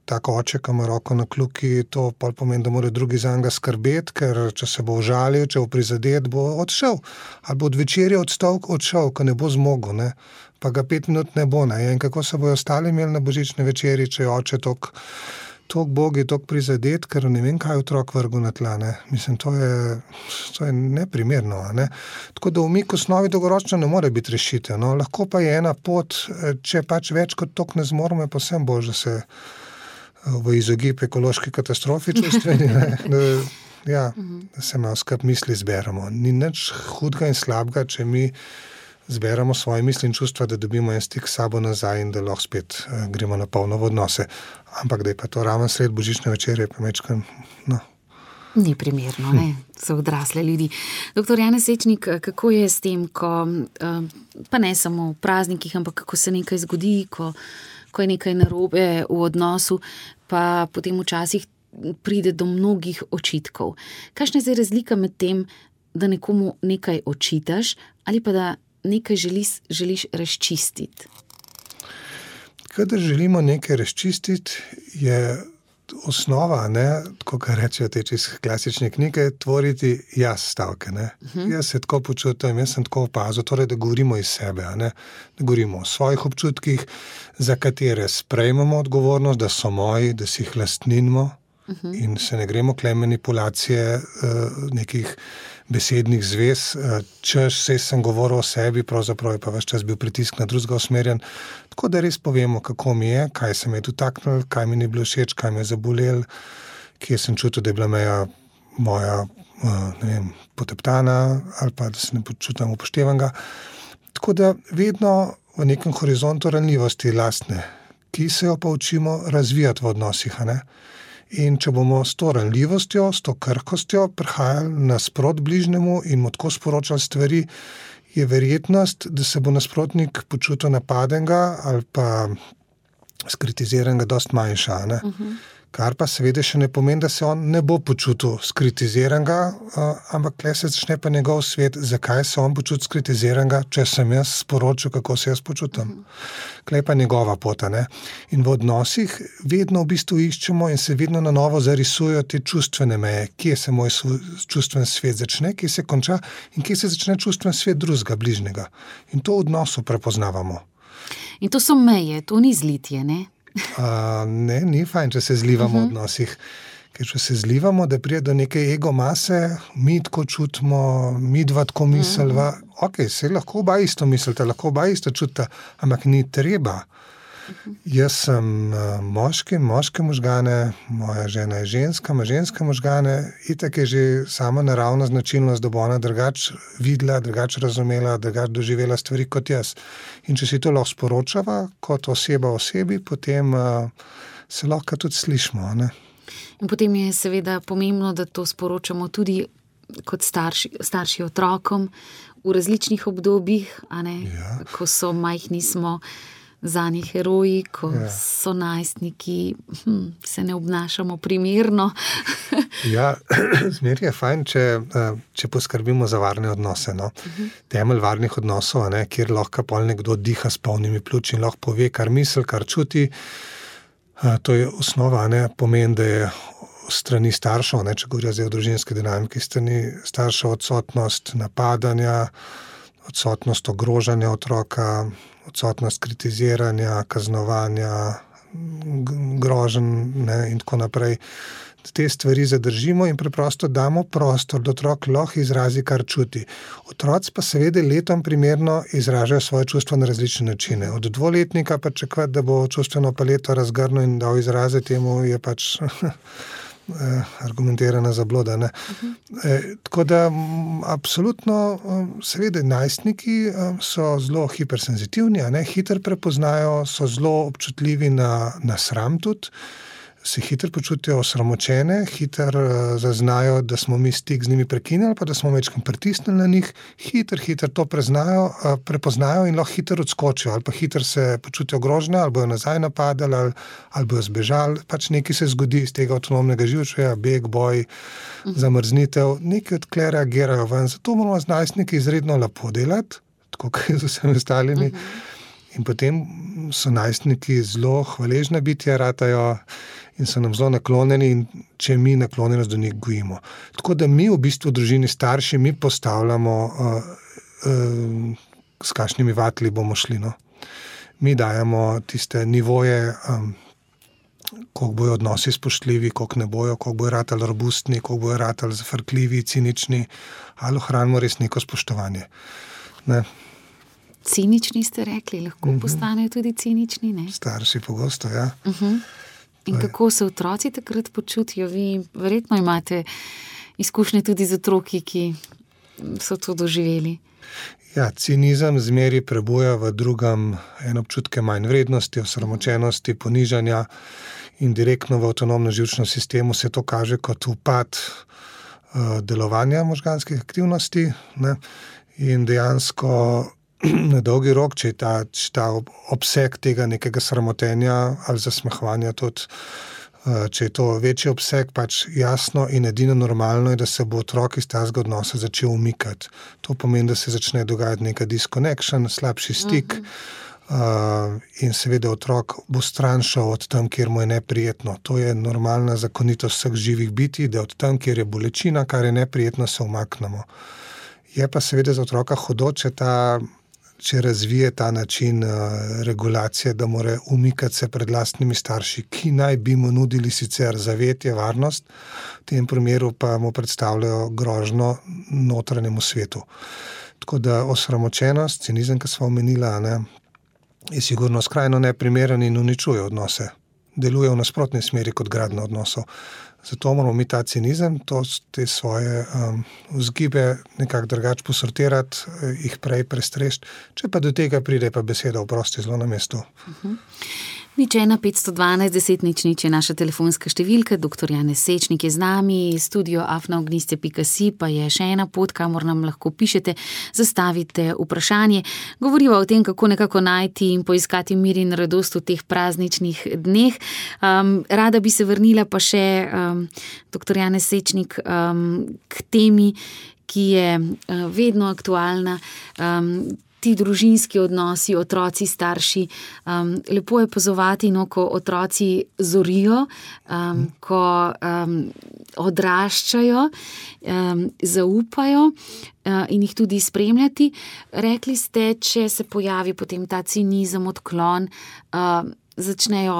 Speaker 2: Tako oče, ki ima roko na kljuki, to pa pomeni, da mora drugi za njega skrbeti, ker če se bo užalil, če bo prizadet, bo odšel. Ali bo od večerja odstal, odšel, ko ne bo zmogel, ne. Pa ga pet minut ne bo. Ne. In kako se bojo ostali imeli na božični večerji, če je oče tok Tok Bog je tok prizadet, ker ne vem, kaj otrok vrgu na tla. Ne. Mislim, to je, to je neprimerno. Ne. Tako da umik v osnovi dolgoročno ne more biti rešitev. No. Lahko pa je ena pot, če pač več kot tok ne zmoremo, je pa vsem bož, da se v izogib ekološki katastrofi čustveni, ne. Da, ja, da se malo skrb misli zberemo. Ni nič hudega in slabega, če mi zberemo svoje misli in čustva, da dobimo en stik s sabo nazaj in da lahko spet uh, gremo na polno v odnose. Ampak da je pa to raven sred božične večerje, pa mečkam, no.
Speaker 1: Ni primerno, ne, so odrasle ljudi. Doktor Janez Sečnik, kako je s tem, ko, pa ne samo v praznikih, ampak kako se nekaj zgodi, ko, ko je nekaj narobe v odnosu, pa potem včasih pride do mnogih očitkov. Kakšna je zdaj razlika med tem, da nekomu nekaj očitaš ali pa da nekaj želiš, želiš razčistiti?
Speaker 2: Kadar želimo nekaj razčistiti, je osnova, ne, tako kar rečejo te čez klasične knjige, tvoriti jaz stavke. Ne. Uh-huh. Jaz se tako počutim, jaz sem tako opazil, torej, da govorimo iz sebe, ne, da govorimo o svojih občutkih, za katere sprejmemo odgovornost, da so moji, da si jih lastninimo. Uh-huh. In se ne gremo kle manipulacije uh, nekih besednih zvez, uh, češ se sem govoril o sebi, pravzaprav je pa ves čas bil pritisk na drugega usmerjen, tako da res povemo, kako mi je, kaj se me je dotaknil, kaj mi ni bilo všeč, kaj me je zabolel, kje sem čutil, da je bila meja moja uh, ne vem, poteptana ali pa da se ne počutim upoštevanega. Tako da vedno v nekem horizontu ranljivosti lastne, ki se jo pa učimo razvijati v odnosih, a ne? In če bomo s to ranljivostjo, s to krhkostjo prihajali nasprot bližnjemu in mu tako sporočali stvari, je verjetnost, da se bo nasprotnik počutil napadenega ali pa skritiziranega dosti manjša. Ne? Uh-huh. Kar pa seveda še ne pomeni, da se on ne bo počutil skritiziranega, uh, ampak tle se začne pa njegov svet, zakaj se on počuti skritiziranega, če sem jaz sporočil, kako se jaz počutim. Tle pa njegova pota. Ne? In v odnosih vedno v bistvu iščemo in se vedno na novo zarisujejo te čustvene meje, kje se moj čustven svet začne, kje se konča in kje se začne čustven svet drugega, bližnjega. In to v odnosu prepoznavamo. In
Speaker 1: to so meje, to ni zlitje, ne?
Speaker 2: Uh, ne, ni fajn, če se zlivamo uh-huh. v odnosih. Ker če se zlivamo, da prije do neke ego mase, mi tako čutimo, mi dva tako mislva, uh-huh. ok, se lahko oba isto mislite, lahko oba isto čutite, ampak ni treba. Uh-huh. Jaz sem uh, moški, moške možgane, moja žena je ženska, ima ženske možgane, itak je že sama naravna značilnost, da bo ona drugač videla, drugač razumela, drugač doživela stvari kot jaz. In če si to lahko sporočava kot oseba osebi, potem uh, se lahko tudi slišimo, ne?
Speaker 1: In potem je seveda pomembno, da to sporočamo tudi kot starši, starši otrokom v različnih obdobjih, a ne? Ja. Ko so majhni, smo zanje heroji, ko ja. so najstniki, hm, se ne obnašamo primerno.
Speaker 2: Ja, zmer je fajn, če, če poskrbimo za varne odnose. No? Uh-huh. Temelj varnih odnosov, ne, kjer lahko pol nekdo diha s polnimi pljuči in lahko pove, kar misli, kar čuti. To je osnova, ne, pomeni, da je strani staršev, ne, če govorijo zdaj o družinski dinamiki, strani staršev odsotnost napadanja, odsotnost ogrožanja otroka, odsotnost kritiziranja, kaznovanja, groženj, ne, in tako naprej. Te stvari zadržimo in preprosto damo prostor, da otrok lahko izrazi, kar čuti. Otroci pa seveda letom primerno izražajo svoje čustva na različne načine. Od dvoletnika pa čakati, da bo čustveno paleto razgrnil in dal izraze temu, je pač argumentirana zabloda. Ne? Uh-huh. E, tako da m, absolutno seveda najstniki so zelo hipersenzitivni, a ne? Hiter prepoznajo, so zelo občutljivi na, na sram tudi, se hitro počutijo osramočene, hitro uh, zaznajo, da smo mi stik z njimi prekinili, pa da smo večkrat pritisnili na njih, hitro, hitro to preznajo, uh, prepoznajo in lahko hitro odskočijo, ali pa hitro se počutijo grožne, ali bojo nazaj napadali, ali, ali bojo zbežali. Pač nekaj se zgodi iz tega avtonomnega živčevja, beg, boj, uh-huh. zamrznitev, nekaj odkle reagirajo ven. Zato moramo z najstniki izredno lepo delati, tako kot z vsemi ostalimi. Uh-huh. In potem so najstniki zelo hvaležne bitja, ratajo in so nam zelo naklonjeni in če mi naklonjenost do njih gojimo. Tako da mi v bistvu družini starši, mi postavljamo, uh, uh, s kakšnimi vatli bomo šli. No? Mi dajemo tiste nivoje, um, koliko bojo odnosi spoštljivi, koliko ne bojo, koliko bojo ratali robustni, koliko bojo ratali zafrkljivi, cinični, ali ohranimo res neko spoštovanje. Ne?
Speaker 1: Cinični ste rekli, lahko uh-huh. postanejo tudi cinični, ne?
Speaker 2: Starši pogosto, ja.
Speaker 1: Uh-huh. In kako se otroci takrat počutijo? Vi verjetno imate izkušnje tudi z otroki, ki so to doživeli.
Speaker 2: Ja, cinizem zmeri prebuja v drugem en občutke manj vrednosti, osramočenosti, ponižanja in direktno v avtonomnem živčnem sistemu se to kaže kot upad uh, delovanja možganskih aktivnosti, ne? In dejansko na dolgi rok, če je ta, če ta obseg tega nekega sramotenja ali zasmehovanja tudi, če je to večji obseg, pač jasno in edino normalno je, da se bo otrok iz tazga odnosa začel umikati. To pomeni, da se začne dogajati neka disconnection, slabši stik uh-huh. uh, in seveda otrok bo stranšal od tam, kjer mu je neprijetno. To je normalna zakonitost vseh živih bitij, da od tam, kjer je bolečina, kar je neprijetno, se umaknemo. Je pa seveda za otroka hudo, če ta če razvije ta način uh, regulacije, da mora umikati se pred lastnimi starši, ki naj bi mu nudili sicer zavetje, varnost, v tem primeru pa mu predstavljajo grožno notranjemu svetu. Tako da osramočenost, cinizem, ki smo omenila, ne, je sigurno skrajno neprimeren in uničuje odnose. Deluje v nasprotni smeri kot gradnja odnosov. Zato moramo mi ta cinizem, to, te svoje um, vzgibe nekako drugače posortirati, jih prej prestrešiti. Če pa do tega pride, pa beseda oprosti zelo na mestu.
Speaker 1: Uh-huh. Nič ena petsto dvanajst deset nič nič je naša telefonska številka, doktor Janez Sečnik je z nami, studio afna ogniste pika si pa je še ena pot, kamor nam lahko pišete, zastavite vprašanje. Govoriva o tem, kako nekako najti in poiskati mir in radost v teh prazničnih dneh. Um, rada bi se vrnila pa še, um, doktor Janez Sečnik, um, k temi, ki je uh, vedno aktualna, um, ti družinski odnosi, otroci, starši. Um, lepo je pozovati, no, ko otroci zorijo, um, ko um, odraščajo, um, zaupajo uh, in jih tudi spremljati. Rekli ste, če se pojavi potem ta cinizem, odklon, uh, začnejo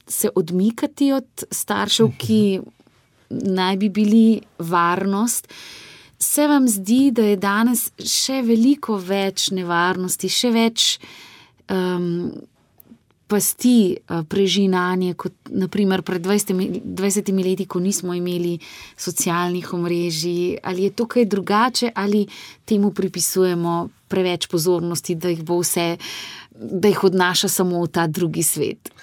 Speaker 1: se odmikati od staršev, ki naj bi bili varnost. Se vam zdi, da je danes še veliko več nevarnosti, še več um, pasti uh, prežinanje, kot naprimer pred dvajsetimi leti, ko nismo imeli socialnih omrežij? Ali je to kaj drugače, ali temu pripisujemo preveč pozornosti, da jih bo vse, da jih odnaša samo v ta drugi svet?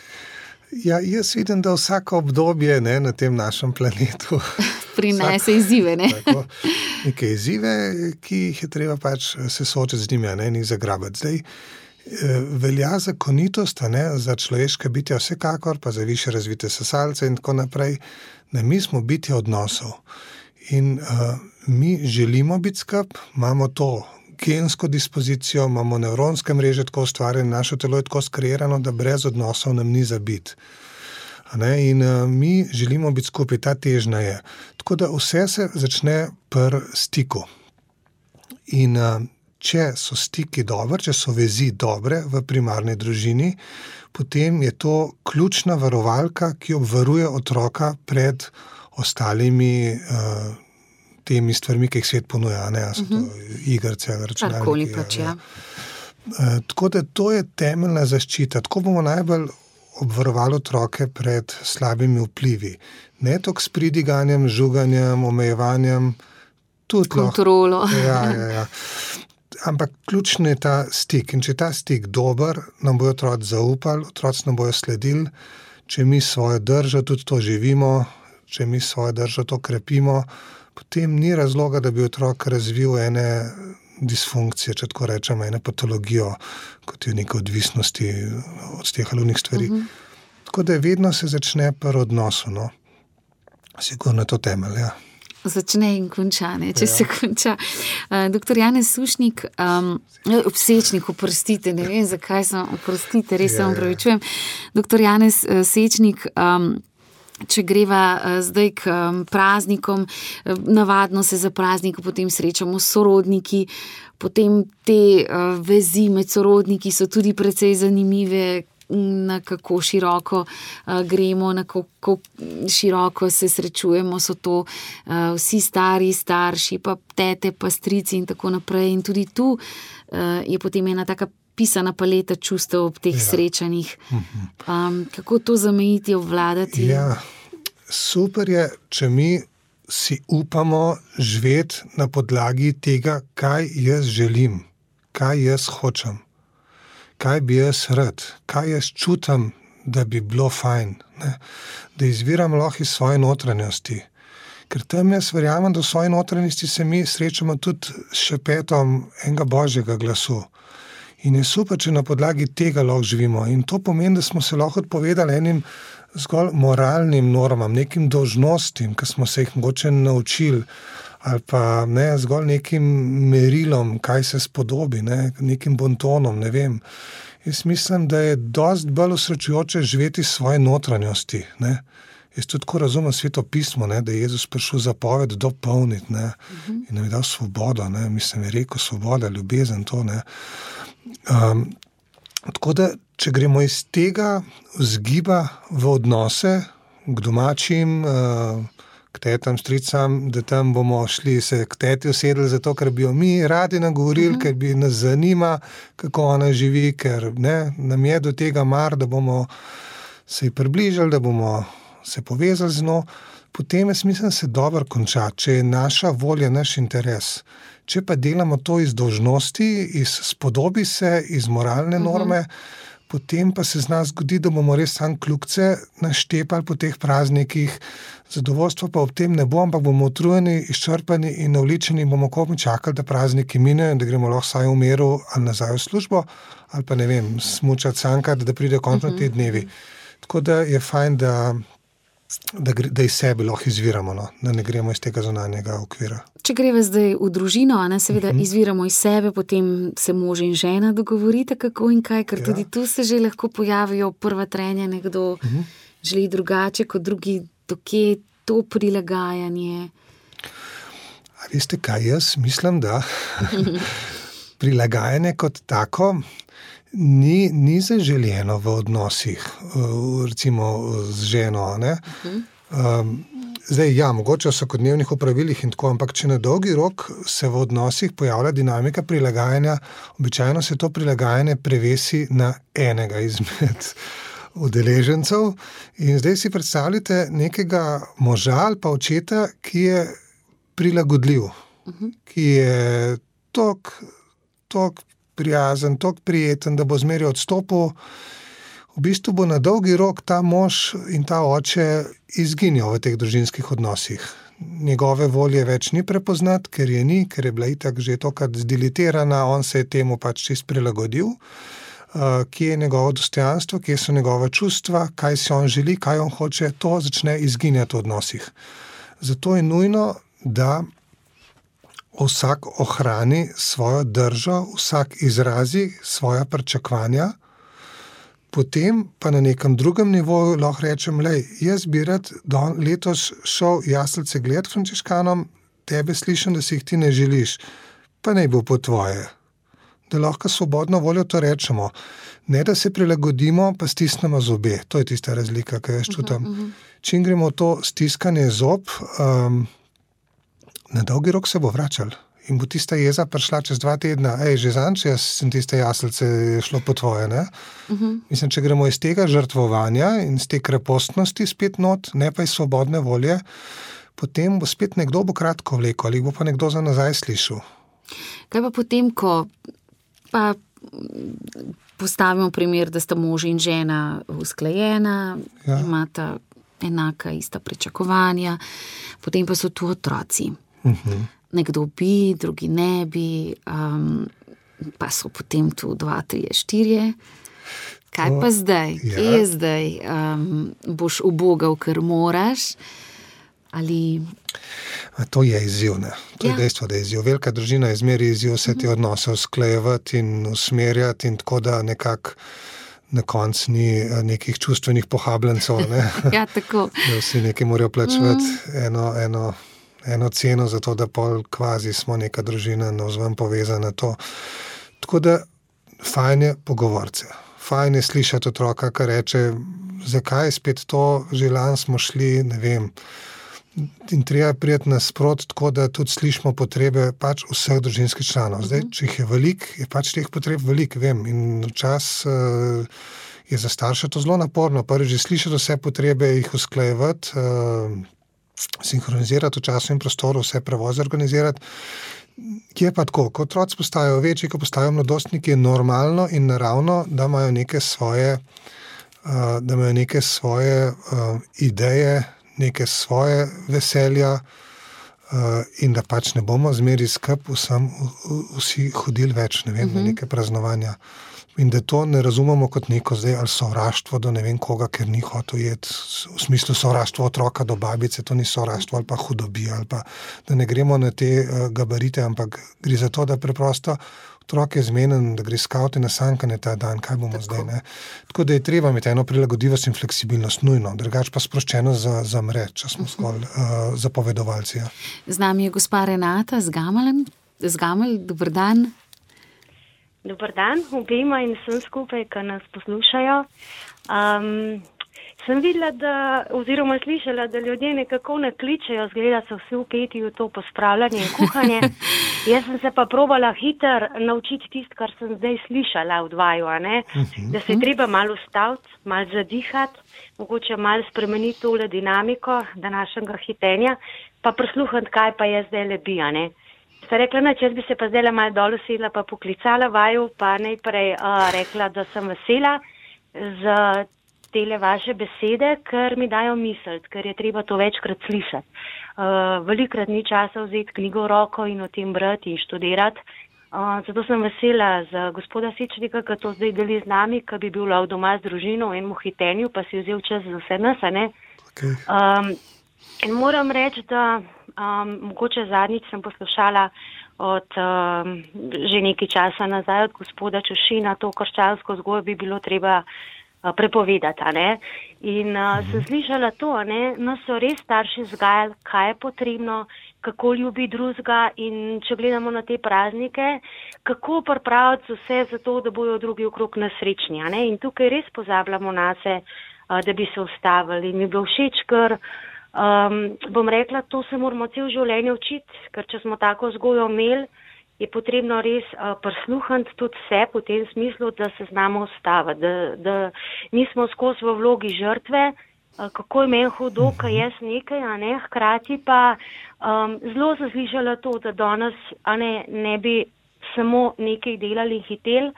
Speaker 2: Ja, jaz vidim, da vsako obdobje, ne, na tem našem planetu
Speaker 1: prinese izzive, ne?
Speaker 2: Tako, neke izzive, ki jih je treba pač se soočiti z njimi, ne, in jih zagrabiti. Zdaj, velja zakonitost, ne, za človeške bitja vsekakor, pa za više razvite sesalce in tako naprej, da mi smo bitja odnosov. In uh, mi želimo biti skup, imamo to gensko dispozicijo, imamo nevronske mreže tako ustvarjene, naše telo je tako skreirano, da brez odnosov nam ni za biti. In uh, mi želimo biti skupaj, ta težnja je. Tako da vse se začne pri stiku. In uh, če so stiki dobri, če so vezi dobre v primarni družini, potem je to ključna varovalka, ki obvaruje otroka pred ostalimi uh, temi stvarmi, ki jih svet ponuja, ne, so to uh-huh. igrce, računalniki.
Speaker 1: Karkoli pač, ja.
Speaker 2: Uh, tako da to je temeljna zaščita. Tako bomo najbolj obvarovali otroke pred slabimi vplivi. Ne toliko s pridiganjem, žuganjem, omejevanjem, tudi
Speaker 1: kontrolo.
Speaker 2: Lahko, ja, ja, ja. Ampak ključen je ta stik. In če je ta stik dober, nam bojo otroci zaupali, otroci nam bojo sledili. če mi svojo držo tudi to živimo, če mi svojo držo to krepimo, potem ni razloga, da bi otrok razvil ene disfunkcije, če tako rečemo, ene patologijo, kot je neke odvisnosti od teh alunih stvari. Uh-huh. Tako da vedno se začne pri odnosu, no. Sigurno je to temelj, ja.
Speaker 1: Začne in konča, ne, če ja. se konča. Uh, doktor Janez Sušnik, um, Sečnik, oprostite, ne vem, zakaj sem, oprostite, res se vam pravičujem. Doktor Janez uh, Sečnik, um, če greva uh, zdaj k um, praznikom, uh, navadno se za praznik potem srečamo s sorodniki, potem te uh, vezi med sorodniki so tudi precej zanimive, na kako široko uh, gremo, na kako široko se srečujemo, so to uh, vsi stari, starši, pa tete, pa strici in tako naprej. In tudi tu uh, je potem ena taka pisana paleta čustev ob teh ja. srečanjih. Um, kako to zamejiti, obvladati?
Speaker 2: Ja, super je, če mi si upamo živeti na podlagi tega, kaj jaz želim, kaj jaz hočem. Kaj bi jaz rad, kaj jaz čutam, da bi bilo fajn, ne? Da izviram lahko iz svoje notranjosti. Ker tam jaz verjamem, da v svoji notranjosti se mi srečamo tudi s šepetom enega božjega glasu. In je super, če na podlagi tega lahko živimo. In to pomeni, da smo se lahko odpovedali enim zgolj moralnim normam, nekim dolžnostim, ki smo se jih mogoče naučili, ali pa ne, zgolj nekim merilom, kaj se spodobi, ne, nekim bontonom, ne vem. Jaz mislim, da je dosti bolj osrečujoče živeti svoje notranjosti, ne. Jaz tudi tako razumem Sveto pismo, ne, da je Jezus prišel zapoved dopolniti, ne, uh-huh. in nam je dal svobodo, ne, mislim, je rekel svoboda, ljubezen, to, ne. Um, tako da, če gremo iz tega vzgiba v odnose k domačim, uh, k tetam, stricam, da tam bomo šli se k teti usedli zato, ker bi jo mi radi nagovorili, uh-huh. ker bi nas zanima, kako ona živi, ker ne, nam je do tega mar, da bomo se ji približali, da bomo se povezali z njo, potem jaz mislim, se dobro konča, če je naša volja, naš interes. Če pa delamo to iz dolžnosti, iz spodobi se, iz moralne norme, uh-huh. potem pa se z nas zgodi, da bomo res sam kljukce naštepali po teh praznikih, zadovoljstvo pa ob tem ne bo, ampak bomo utrujeni, izčrpani in navličeni, bomo komaj čakali, da prazniki minejo in da gremo lahko vsaj v miru ali nazaj v službo, ali pa ne vem, smučati sankati, da pride končno te dnevi. Tako da je fajn, da, da, da iz sebe lahko izviramo, no? Da ne gremo iz tega zunanjega okvira.
Speaker 1: Če greva zdaj v družino, ne, seveda uh-huh. izviramo iz sebe, potem se mož in žena dogovorite, kako in kaj, ker ja. tudi tu se že lahko pojavijo prva trenja, nekdo uh-huh. želi drugače kot drugi, dokje to prilagajanje.
Speaker 2: A veste kaj, jaz mislim, da prilagajanje kot tako ni, ni zaželjeno v odnosih, recimo z ženo, ne? Uh-huh. Um, Zdaj, ja, mogoče v vsakodnevnih opravilih in tako, ampak če na dolgi rok se v odnosih pojavlja dinamika prilagajanja, običajno se to prilagajanje prevesi na enega izmed udeležencev. In zdaj si predstavljate nekega moža ali pa očeta, ki je prilagodljiv, uh-huh. ki je tok, tok prijazen, tok prijeten, da bo zmeraj odstopil. V bistvu bo na dolgi rok ta mož in ta oče izginjal v teh družinskih odnosih. Njegove volje več ni prepoznati, ker je ni, ker je bila itak že tokrat zdilitirana, on se je temu pač čist prilagodil. Uh, kje je njegovo dostojanstvo, kje so njegove čustva, kaj si on želi, kaj on hoče, to začne izginjati v odnosih. Zato je nujno, da vsak ohrani svojo držo, vsak izrazi svoja pričakovanja. Potem pa na nekem drugem nivoju lahko rečem, lej, jaz bi rad letos šel jaslice gledat frančiškanom, tebe slišim, da si jih ti ne želiš, pa naj bo po tvoje. Da lahko svobodno voljo to rečemo. Ne, da se prilagodimo, pa stisnemo zobe. To je tista razlika, ki jaz čutam. Uh-huh, uh-huh. Čim gremo to stiskanje zob, um, na dolgi rok se bo vračal. In bo tista jeza prišla čez dva tedna, ej, že zanč, jaz sem tiste jaslice šlo po tvoje, ne? Uh-huh. Mislim, če gremo iz tega žrtvovanja in iz te krepostnosti spet not, ne pa iz svobodne volje, potem bo spet nekdo bo kratko vleko, ali bo pa nekdo za nazaj slišal.
Speaker 1: Kaj pa potem, ko pa postavimo primer, da sta mož in žena usklajena, ja. imata enaka, ista pričakovanja, potem pa so tu otroci. Uh-huh. Nekdo bi, drugi ne bi, um, pa so potem tu dva, trije, štirje. Kaj to, pa zdaj? Ja. Kje je zdaj? Um, boš ubogal, ker moraš? Ali...
Speaker 2: To je izziv, ne. To ja. je dejstvo, da je izziv. Velika družina je zmeri izziv vse te odnose usklajevati in usmerjati in tako, da nekako na koncu ni nekih čustvenih pohabljencov, ne.
Speaker 1: Ja, tako.
Speaker 2: Da vsi nekaj morajo plačevati mm. eno, eno, eno ceno za to, da pol kvazi smo neka družina navzven povezana to. Tako da fajn je pogovorce. Fajn je slišati otroka, ki reče, zakaj spet to, že lani smo šli, ne vem, in treba prijeti nasprot, tako da tudi slišimo potrebe pač vseh družinskih članov. Zdaj, če jih je veliko, je pač teh potreb veliko, vem, in včas uh, je za starše to zelo naporno. Prvi že slišati vse potrebe, jih usklajevati, uh, sinhronizirati v času in prostoru, vse prevoze organizirati. Je pa tako, ko otroci postajajo večji, ko postajajo mladostniki, je normalno in naravno, da imajo neke svoje, uh, da imajo neke svoje uh, ideje, neke svoje veselja uh, in da pač ne bomo zmeri skup vsem vsi hodili več, ne vem, uh-huh. na neke praznovanja. In da to ne razumemo kot neko zdaj ali sovraštvo do ne vem koga, ker ni hotel jeti, v smislu sovraštvo otroka do babice, to ni sovraštvo ali pa hudobija, ali pa da ne gremo na te uh, gabarite, ampak gre za to, da preprosto otrok je zmenen, da gre skavti na sankanje ta dan, kaj bomo tako. Zdaj, ne. Tako da je treba imeti eno prilagodljivost in fleksibilnost, nujno, drugače pa sproščeno za, za mre, če smo uh-huh. zgolj uh, zapovedovalci. Ja.
Speaker 1: Z nami je gospa Renata z Gamelem. Z Gamel, dober dan.
Speaker 5: Dober dan, obema in vsem skupaj, ki nas poslušajo. Um, sem videla, da, oziroma slišala, da ljudje nekako ne kličejo, zgleda so vsi vpeti v to pospravljanje in kuhanje. Jaz sem se pa probala hiter naučiti tisto, kar sem zdaj slišala v dvaju, a ne? Uh-huh. Da se je treba malo ustaviti, malo zadihati, mogoče malo spremeniti tole dinamiko današnjega hitenja, pa prisluhniti, kaj pa je zdaj le bi, a ne? Sta rekla, da jaz bi se pa zdaj malo dol usedla, pa poklicala vaju, pa najprej uh, rekla, da sem vesela za tele vaše besede, ker mi dajo misliti, ker je treba to večkrat slišati. Uh, velikrat ni časa vzeti knjigo v roko in o tem brati in študirati. Uh, zato sem vesela za gospoda Sečnika, ki to zdaj deli z nami, ki bi bil lov doma z družino v enem hitenju, pa si vzel čas za vse nas, a ne? Okay. Um, in moram reči, da um, mogoče zadnjič sem poslušala od um, že nekaj časa nazaj od gospoda Čušina, to krščansko vzgojo bi bilo treba uh, prepovedati, a ne? In uh, sem slišala to, a ne? No, so res starši vzgajali, kaj je potrebno, kako ljubi drugega in če gledamo na te praznike, kako pripraviti vse za to, da bojo drugi okrog nesrečni, a ne? In tukaj res pozabljamo nase, uh, da bi se ustavili. In mi je bilo všeč, ker Um, bom rekla, to se moramo cel življenje učiti, ker če smo tako vzgojo imeli, je potrebno res uh, prisluhniti tudi vse v tem smislu, da se znamo ustaviti, da, da nismo skozi v vlogi žrtve, uh, kako je meni hudo, kaj jaz nekaj, a ne, hkrati pa um, zelo zaslišala to, da danes a ne, ne bi samo nekaj delali in hitel,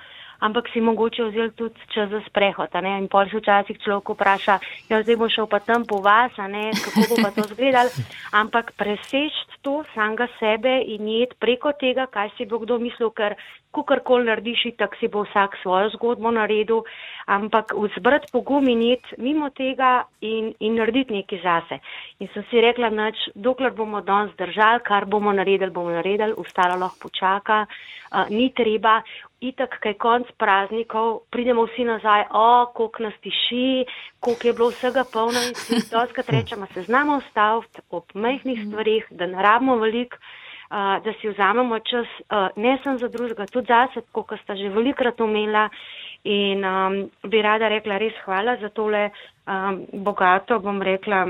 Speaker 5: ampak si mogoče vzeli tudi čas za sprehod, a ne, in pol se včasih človek vpraša, ja, zdaj bo šel pa tam po vas, a ne, kako bo pa to zgledal, ampak preseči to samega sebe in jeti preko tega, kaj si bo kdo mislil, ker kakorkoli narediš, tak si bo vsak svojo zgodbo naredil, ampak vzbrati pogum in jeti mimo tega in, in narediti nekaj zase. In sem si rekla, nač, dokler bomo danes držali, kar bomo naredili, bomo naredili, ostalo lahko počaka, uh, ni treba. Itak, kaj konc praznikov, pridemo vsi nazaj, o, koliko nas tiši, koliko je bilo vsega polno in si doskrat rečemo, se znamo ustaviti ob majhnih stvarih, da ne rabimo veliko, uh, da si vzamemo čas, uh, ne sem za drugega, tudi zase, kot sta že velikrat omenila in um, bi rada rekla res hvala za tole um, bogato, bom rekla,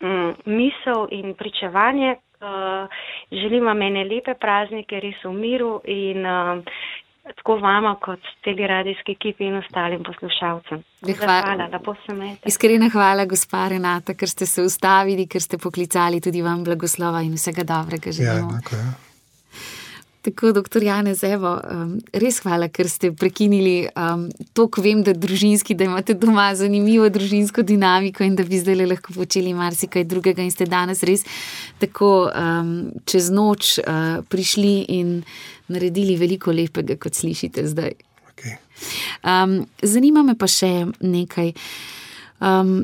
Speaker 5: um, misel in pričevanje. Uh, želim vam ene lepe praznike, res v miru in um, tako vama kot teleradijski ekipi in ostalim poslušalcem. Hvala, lepo se imejte.
Speaker 1: Iskrena hvala, gospa Renata, ker ste se ustavili, ker ste poklicali, tudi vam blagoslova in vsega dobrega želimo.
Speaker 2: Ja, enako, ja.
Speaker 1: Tako, doktor Janez, evo, um, res hvala, ker ste prekinili um, to, ko vem, da družinski, da imate doma zanimivo družinsko dinamiko in da bi zdaj lahko počeli marsikaj drugega in ste danes res tako um, čez noč uh, prišli in naredili veliko lepega, kot slišite zdaj.
Speaker 2: Okay.
Speaker 1: Um, zanima me pa še nekaj. Um,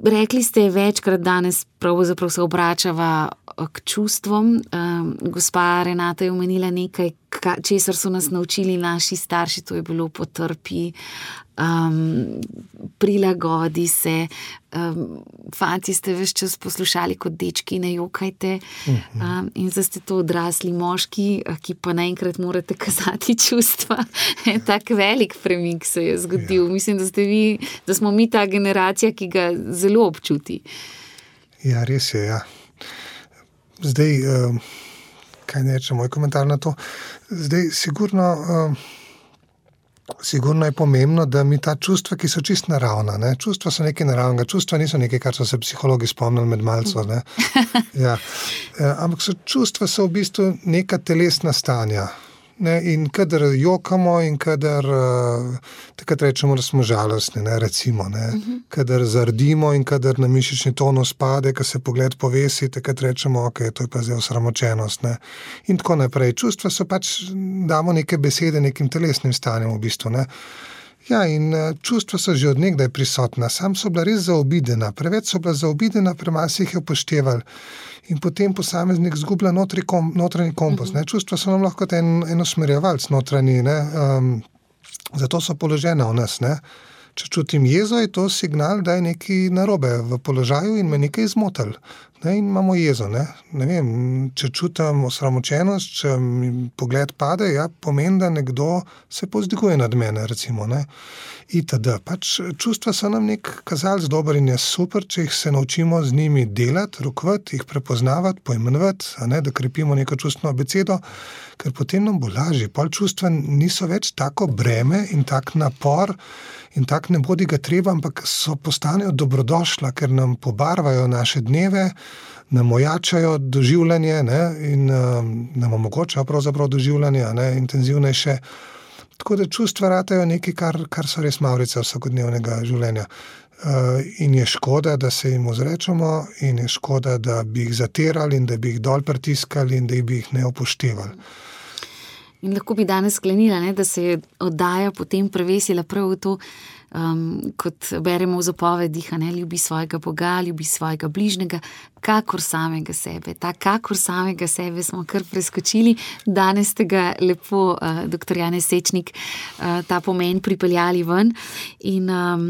Speaker 1: rekli ste večkrat danes, pravzaprav se obračava k čustvom. Um, gospa Renata je omenila nekaj, ka, česar so nas naučili naši starši, to je bilo potrpi, um, prilagodi se. Um, fanti ste ves čas poslušali kot dečki, ne jokajte. Um, in zdaj ste to odrasli moški, ki pa naenkrat morate kazati čustva. Tak velik premik se je zgodil. Ja. Mislim, da ste vi, da smo mi ta generacija, ki ga zelo občuti.
Speaker 2: Ja, res je, ja. Zdaj, uh, kaj ne reče moj komentar na to? Zdaj, sigurno, uh, sigurno je pomembno, da mi ta čustva, ki so čist naravna, ne? Čustva so nekaj naravnega, čustva niso nekaj, kar so se psihologi spomnili med malco, ne? Ja. Uh, ampak so, čustva so v bistvu neka telesna stanja. Ne, in kadar jokamo in kadar uh, takrat rečemo, da smo žalostni, ne, recimo, ne, uh-huh. kadar zardimo in kadar na mišični tonus pade, kad se pogled povesi, takrat rečemo, ok, to je pa zdaj osramočenost, ne, in tako naprej. Čustva so pač, damo neke besede nekim telesnim stanjem v bistvu, ne. Ja, in uh, čustva so že od nekdaj prisotna, sam so bila res zaobidena, preveč so bila zaobidena, premalo se jih je upoštevali. In potem posameznik zgublja notri kom, notranji kompas. Ne? Čustva so nam lahko en, en usmerjevalc notranji, ne? Um, zato so položene v nas. Ne? Če čutim jezo, je to signal, da je nekaj narobe v položaju in me nekaj izmotil. Ne? In imamo jezo. Ne? Ne vem, če čutim osramočenost, če mi pogled pade, ja, pomeni, da nekdo se povzdiguje nad mene, recimo. Ne? Itd. Pač čustva so nam nek kazalec dober in je super, če jih se naučimo z njimi delati, rokovati, jih prepoznavati, poimenovati, a ne, da krepimo neko čustveno abecedo, ker potem nam bo lažje. Pol čustva niso več tako breme in tak napor in tak ne bodi ga treba, ampak so postanejo dobrodošla, ker nam pobarvajo naše dneve, nam ojačajo doživljanje, ne, in um, nam omogočajo pravzaprav doživljanje, a ne, intenzivnejše. Tako da čustva ratajo nekaj, kar, kar so res mavrice vsakodnevnega življenja. Uh, in je škoda, da se jim ozrečemo in je škoda, da bi jih zatirali in da bi jih dol pritiskali in da bi jih ne upoštevali.
Speaker 1: In lahko bi danes sklenila, ne, da se je oddaja potem prevesila prav v to, um, kot beremo v zapovedih, ne, ljubi svojega Boga, ljubi svojega bližnjega, kakor samega sebe. Ta kakor samega sebe smo kar preskočili. Danes ste ga lepo, uh, doktor Janez Sečnik, uh, ta pomen pripeljali ven. In um,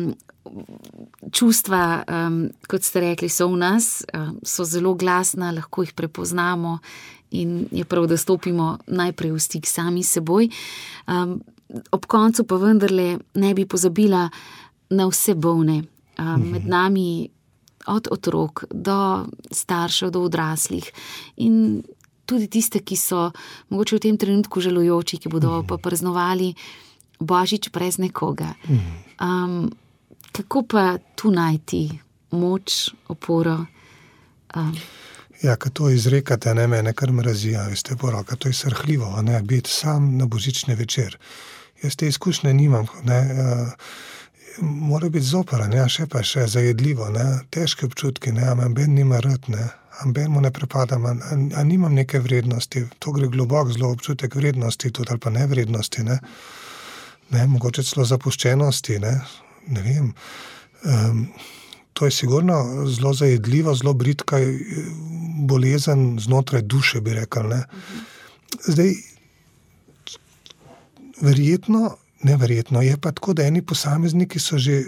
Speaker 1: čustva, um, kot ste rekli, so v nas, um, so zelo glasna, lahko jih prepoznamo in je prav, da stopimo najprej v stik sami seboj. Um, ob koncu pa vendarle ne bi pozabila na vse bolne. Um, med nami od otrok do staršev, do odraslih in tudi tiste, ki so mogoče v tem trenutku žalujoči, ki bodo pa praznovali Božič brez nekoga. Um, kako pa tu najti moč, oporo? Um,
Speaker 2: Ja, ko to izrekate, ne, mene kar mrazija, veste, poroka, to je srhljivo, ne, biti sam na božični večer. Jaz te izkušnje nimam, ne, uh, mora biti zopera, ne, še pa še zajedljivo, ne, težke občutki, ne, a ben nima rad, ne, a ben mu ne prepadam, a, a, a nimam neke vrednosti, to gre globok zelo občutek vrednosti, tudi ali pa nevrednosti, ne, ne, mogoče celo zapuščenosti, ne, ne vem, um, to je sigurno zelo zajedljivo, zelo bridka bolezen znotraj duše, bi rekel, ne. Zdaj, verjetno, neverjetno, je pa tako, da eni posamezniki so že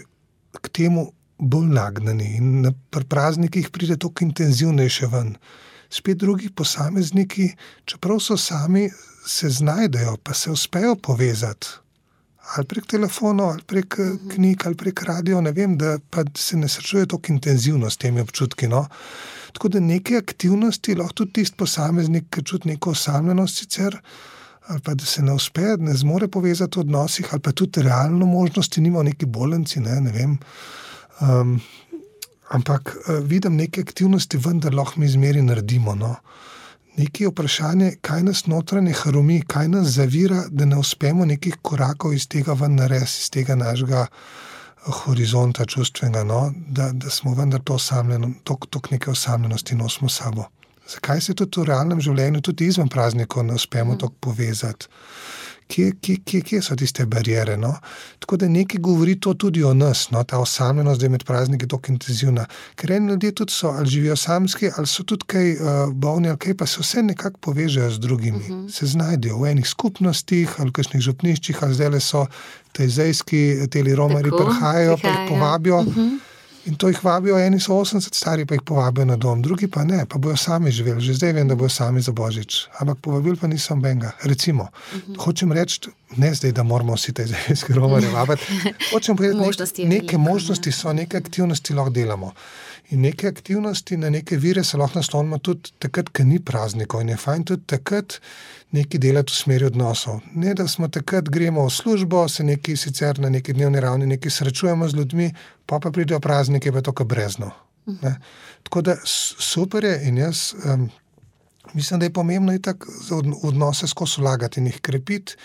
Speaker 2: k temu bolj nagnani in na praznikih pride toliko intenzivnejše ven. Spet drugi posamezniki, čeprav so sami, se znajdejo, pa se uspejo povezati. Ali prek telefonov, ali prek knjig, ali prek radio, ne vem, da pa se ne srečuje toliko intenzivno s temi občutki, no. Tako da neke aktivnosti lahko tudi tisti posameznik, ki čuti neko osamljenost sicer, ali pa da se ne uspe, ne zmore povezati v odnosih, ali pa tudi realno možnosti nima v neki bolenci, ne, ne vem. Um, ampak uh, vidim neke aktivnosti, vendar lahko mi izmeri naredimo, no. Nekaj vprašanje, kaj nas notranje hromi, kaj nas zavira, da ne uspemo nekih korakov iz tega ven nares, iz tega našega horizonta čustvenega, no? da, da smo vendar to osamljeno, tok, tok neke osamljenosti nosimo sabo. Zakaj se tudi v realnem življenju, tudi izven praznikov ne uspemo mm. tako povezati? Kje, kje, kje, kje so tiste barijere? No? Tako da nekaj govori to tudi o nas, no? Ta osamljenost, da je med prazniki tako intenzivna. Ker eni ljudje tudi so, ali živijo samski, ali so tudi kaj uh, bolni, ali kaj, pa se vse nekako povežejo z drugimi. Uh-huh. Se znajdejo v enih skupnostih, ali v kakšnih župniščih, ali zdaj so tejzejski, teli romari prihajajo, pa jih povabijo. Uh-huh. In to jih vabijo, eni so osemdeset stari, pa jih povabijo na dom, drugi pa ne, pa bojo sami živeli. Že zdaj vem, da bojo sami za Božič. Ampak povabili pa nisem benga. Recimo, uh-huh. hočem reči, ne zdaj, da moramo vsi te zdajski romare vabiti. Hočem povedati, nek, neke možnosti so, neke aktivnosti lahko delamo. In neke aktivnosti na neke vire se lahko naslonimo tudi takrat, ko ni praznikov. In je fajn tudi takrat nekaj delati v smeri odnosov. Ne, da smo takrat gremo v službo, se neki sicer na neki dnevni ravni nekaj srečujemo z ljudmi, pa pa pridejo praznike, pa je to kot brezno. Ne? Tako da super je in jaz um, mislim, da je pomembno itak odnose skozi vlagati in jih krepiti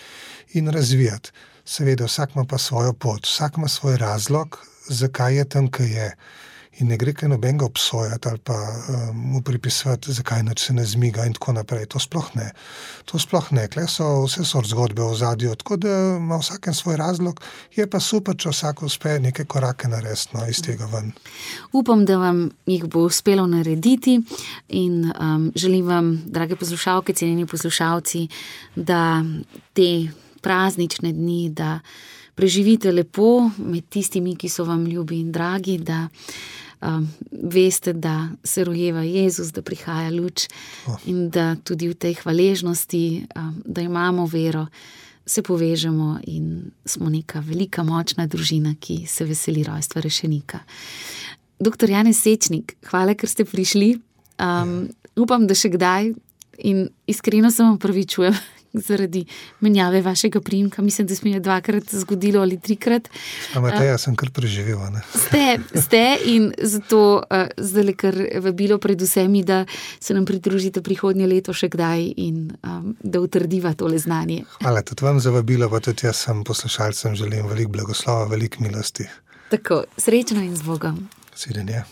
Speaker 2: in razvijati. Seveda, vsak ima pa svojo pot, vsak ima svoj razlog, zakaj je tam, kaj je. In ne gre kaj nobenega obsojati ali pa um, mu pripisati, zakaj nič se ne zmiga in tako naprej. To sploh ne. To sploh ne. Kle so vse sort zgodbe v ozadju, tako da ima vsaken svoj razlog. Je pa super, če vsak uspe neke korake narediti, no, iz tega ven.
Speaker 1: Upam, da vam jih bo uspelo narediti in um, želim vam, drage poslušalke, cenjeni poslušalci, da te praznične dni, da preživite lepo med tistimi, ki so vam ljubi in dragi, da um, veste, da se rojeva Jezus, da prihaja luč oh. in da tudi v tej hvaležnosti, um, da imamo vero, se povežemo in smo neka velika, močna družina, ki se veseli rojstva rešenika. Doktor Janez Sečnik, hvala, ker ste prišli. Um, upam, da še kdaj in iskreno se vam opravičujem zaradi menjave vašega priimka. Mislim, da se mi je dvakrat zgodilo ali trikrat.
Speaker 2: Ampak jaz sem kar preživel, ne?
Speaker 1: Ste, ste in zato uh, zdaj kar vabilo pred vsemi, da se nam pridružite prihodnje leto še kdaj in um, da utrdiva tole znanje.
Speaker 2: Hvala tudi vam za vabilo, pa tudi jaz sem poslušalcem želim veliko blagoslova, veliko milosti.
Speaker 1: Tako, srečno in z Bogom.
Speaker 2: Svidenje.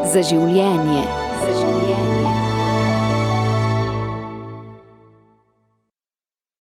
Speaker 6: Za življenje. Za življenje.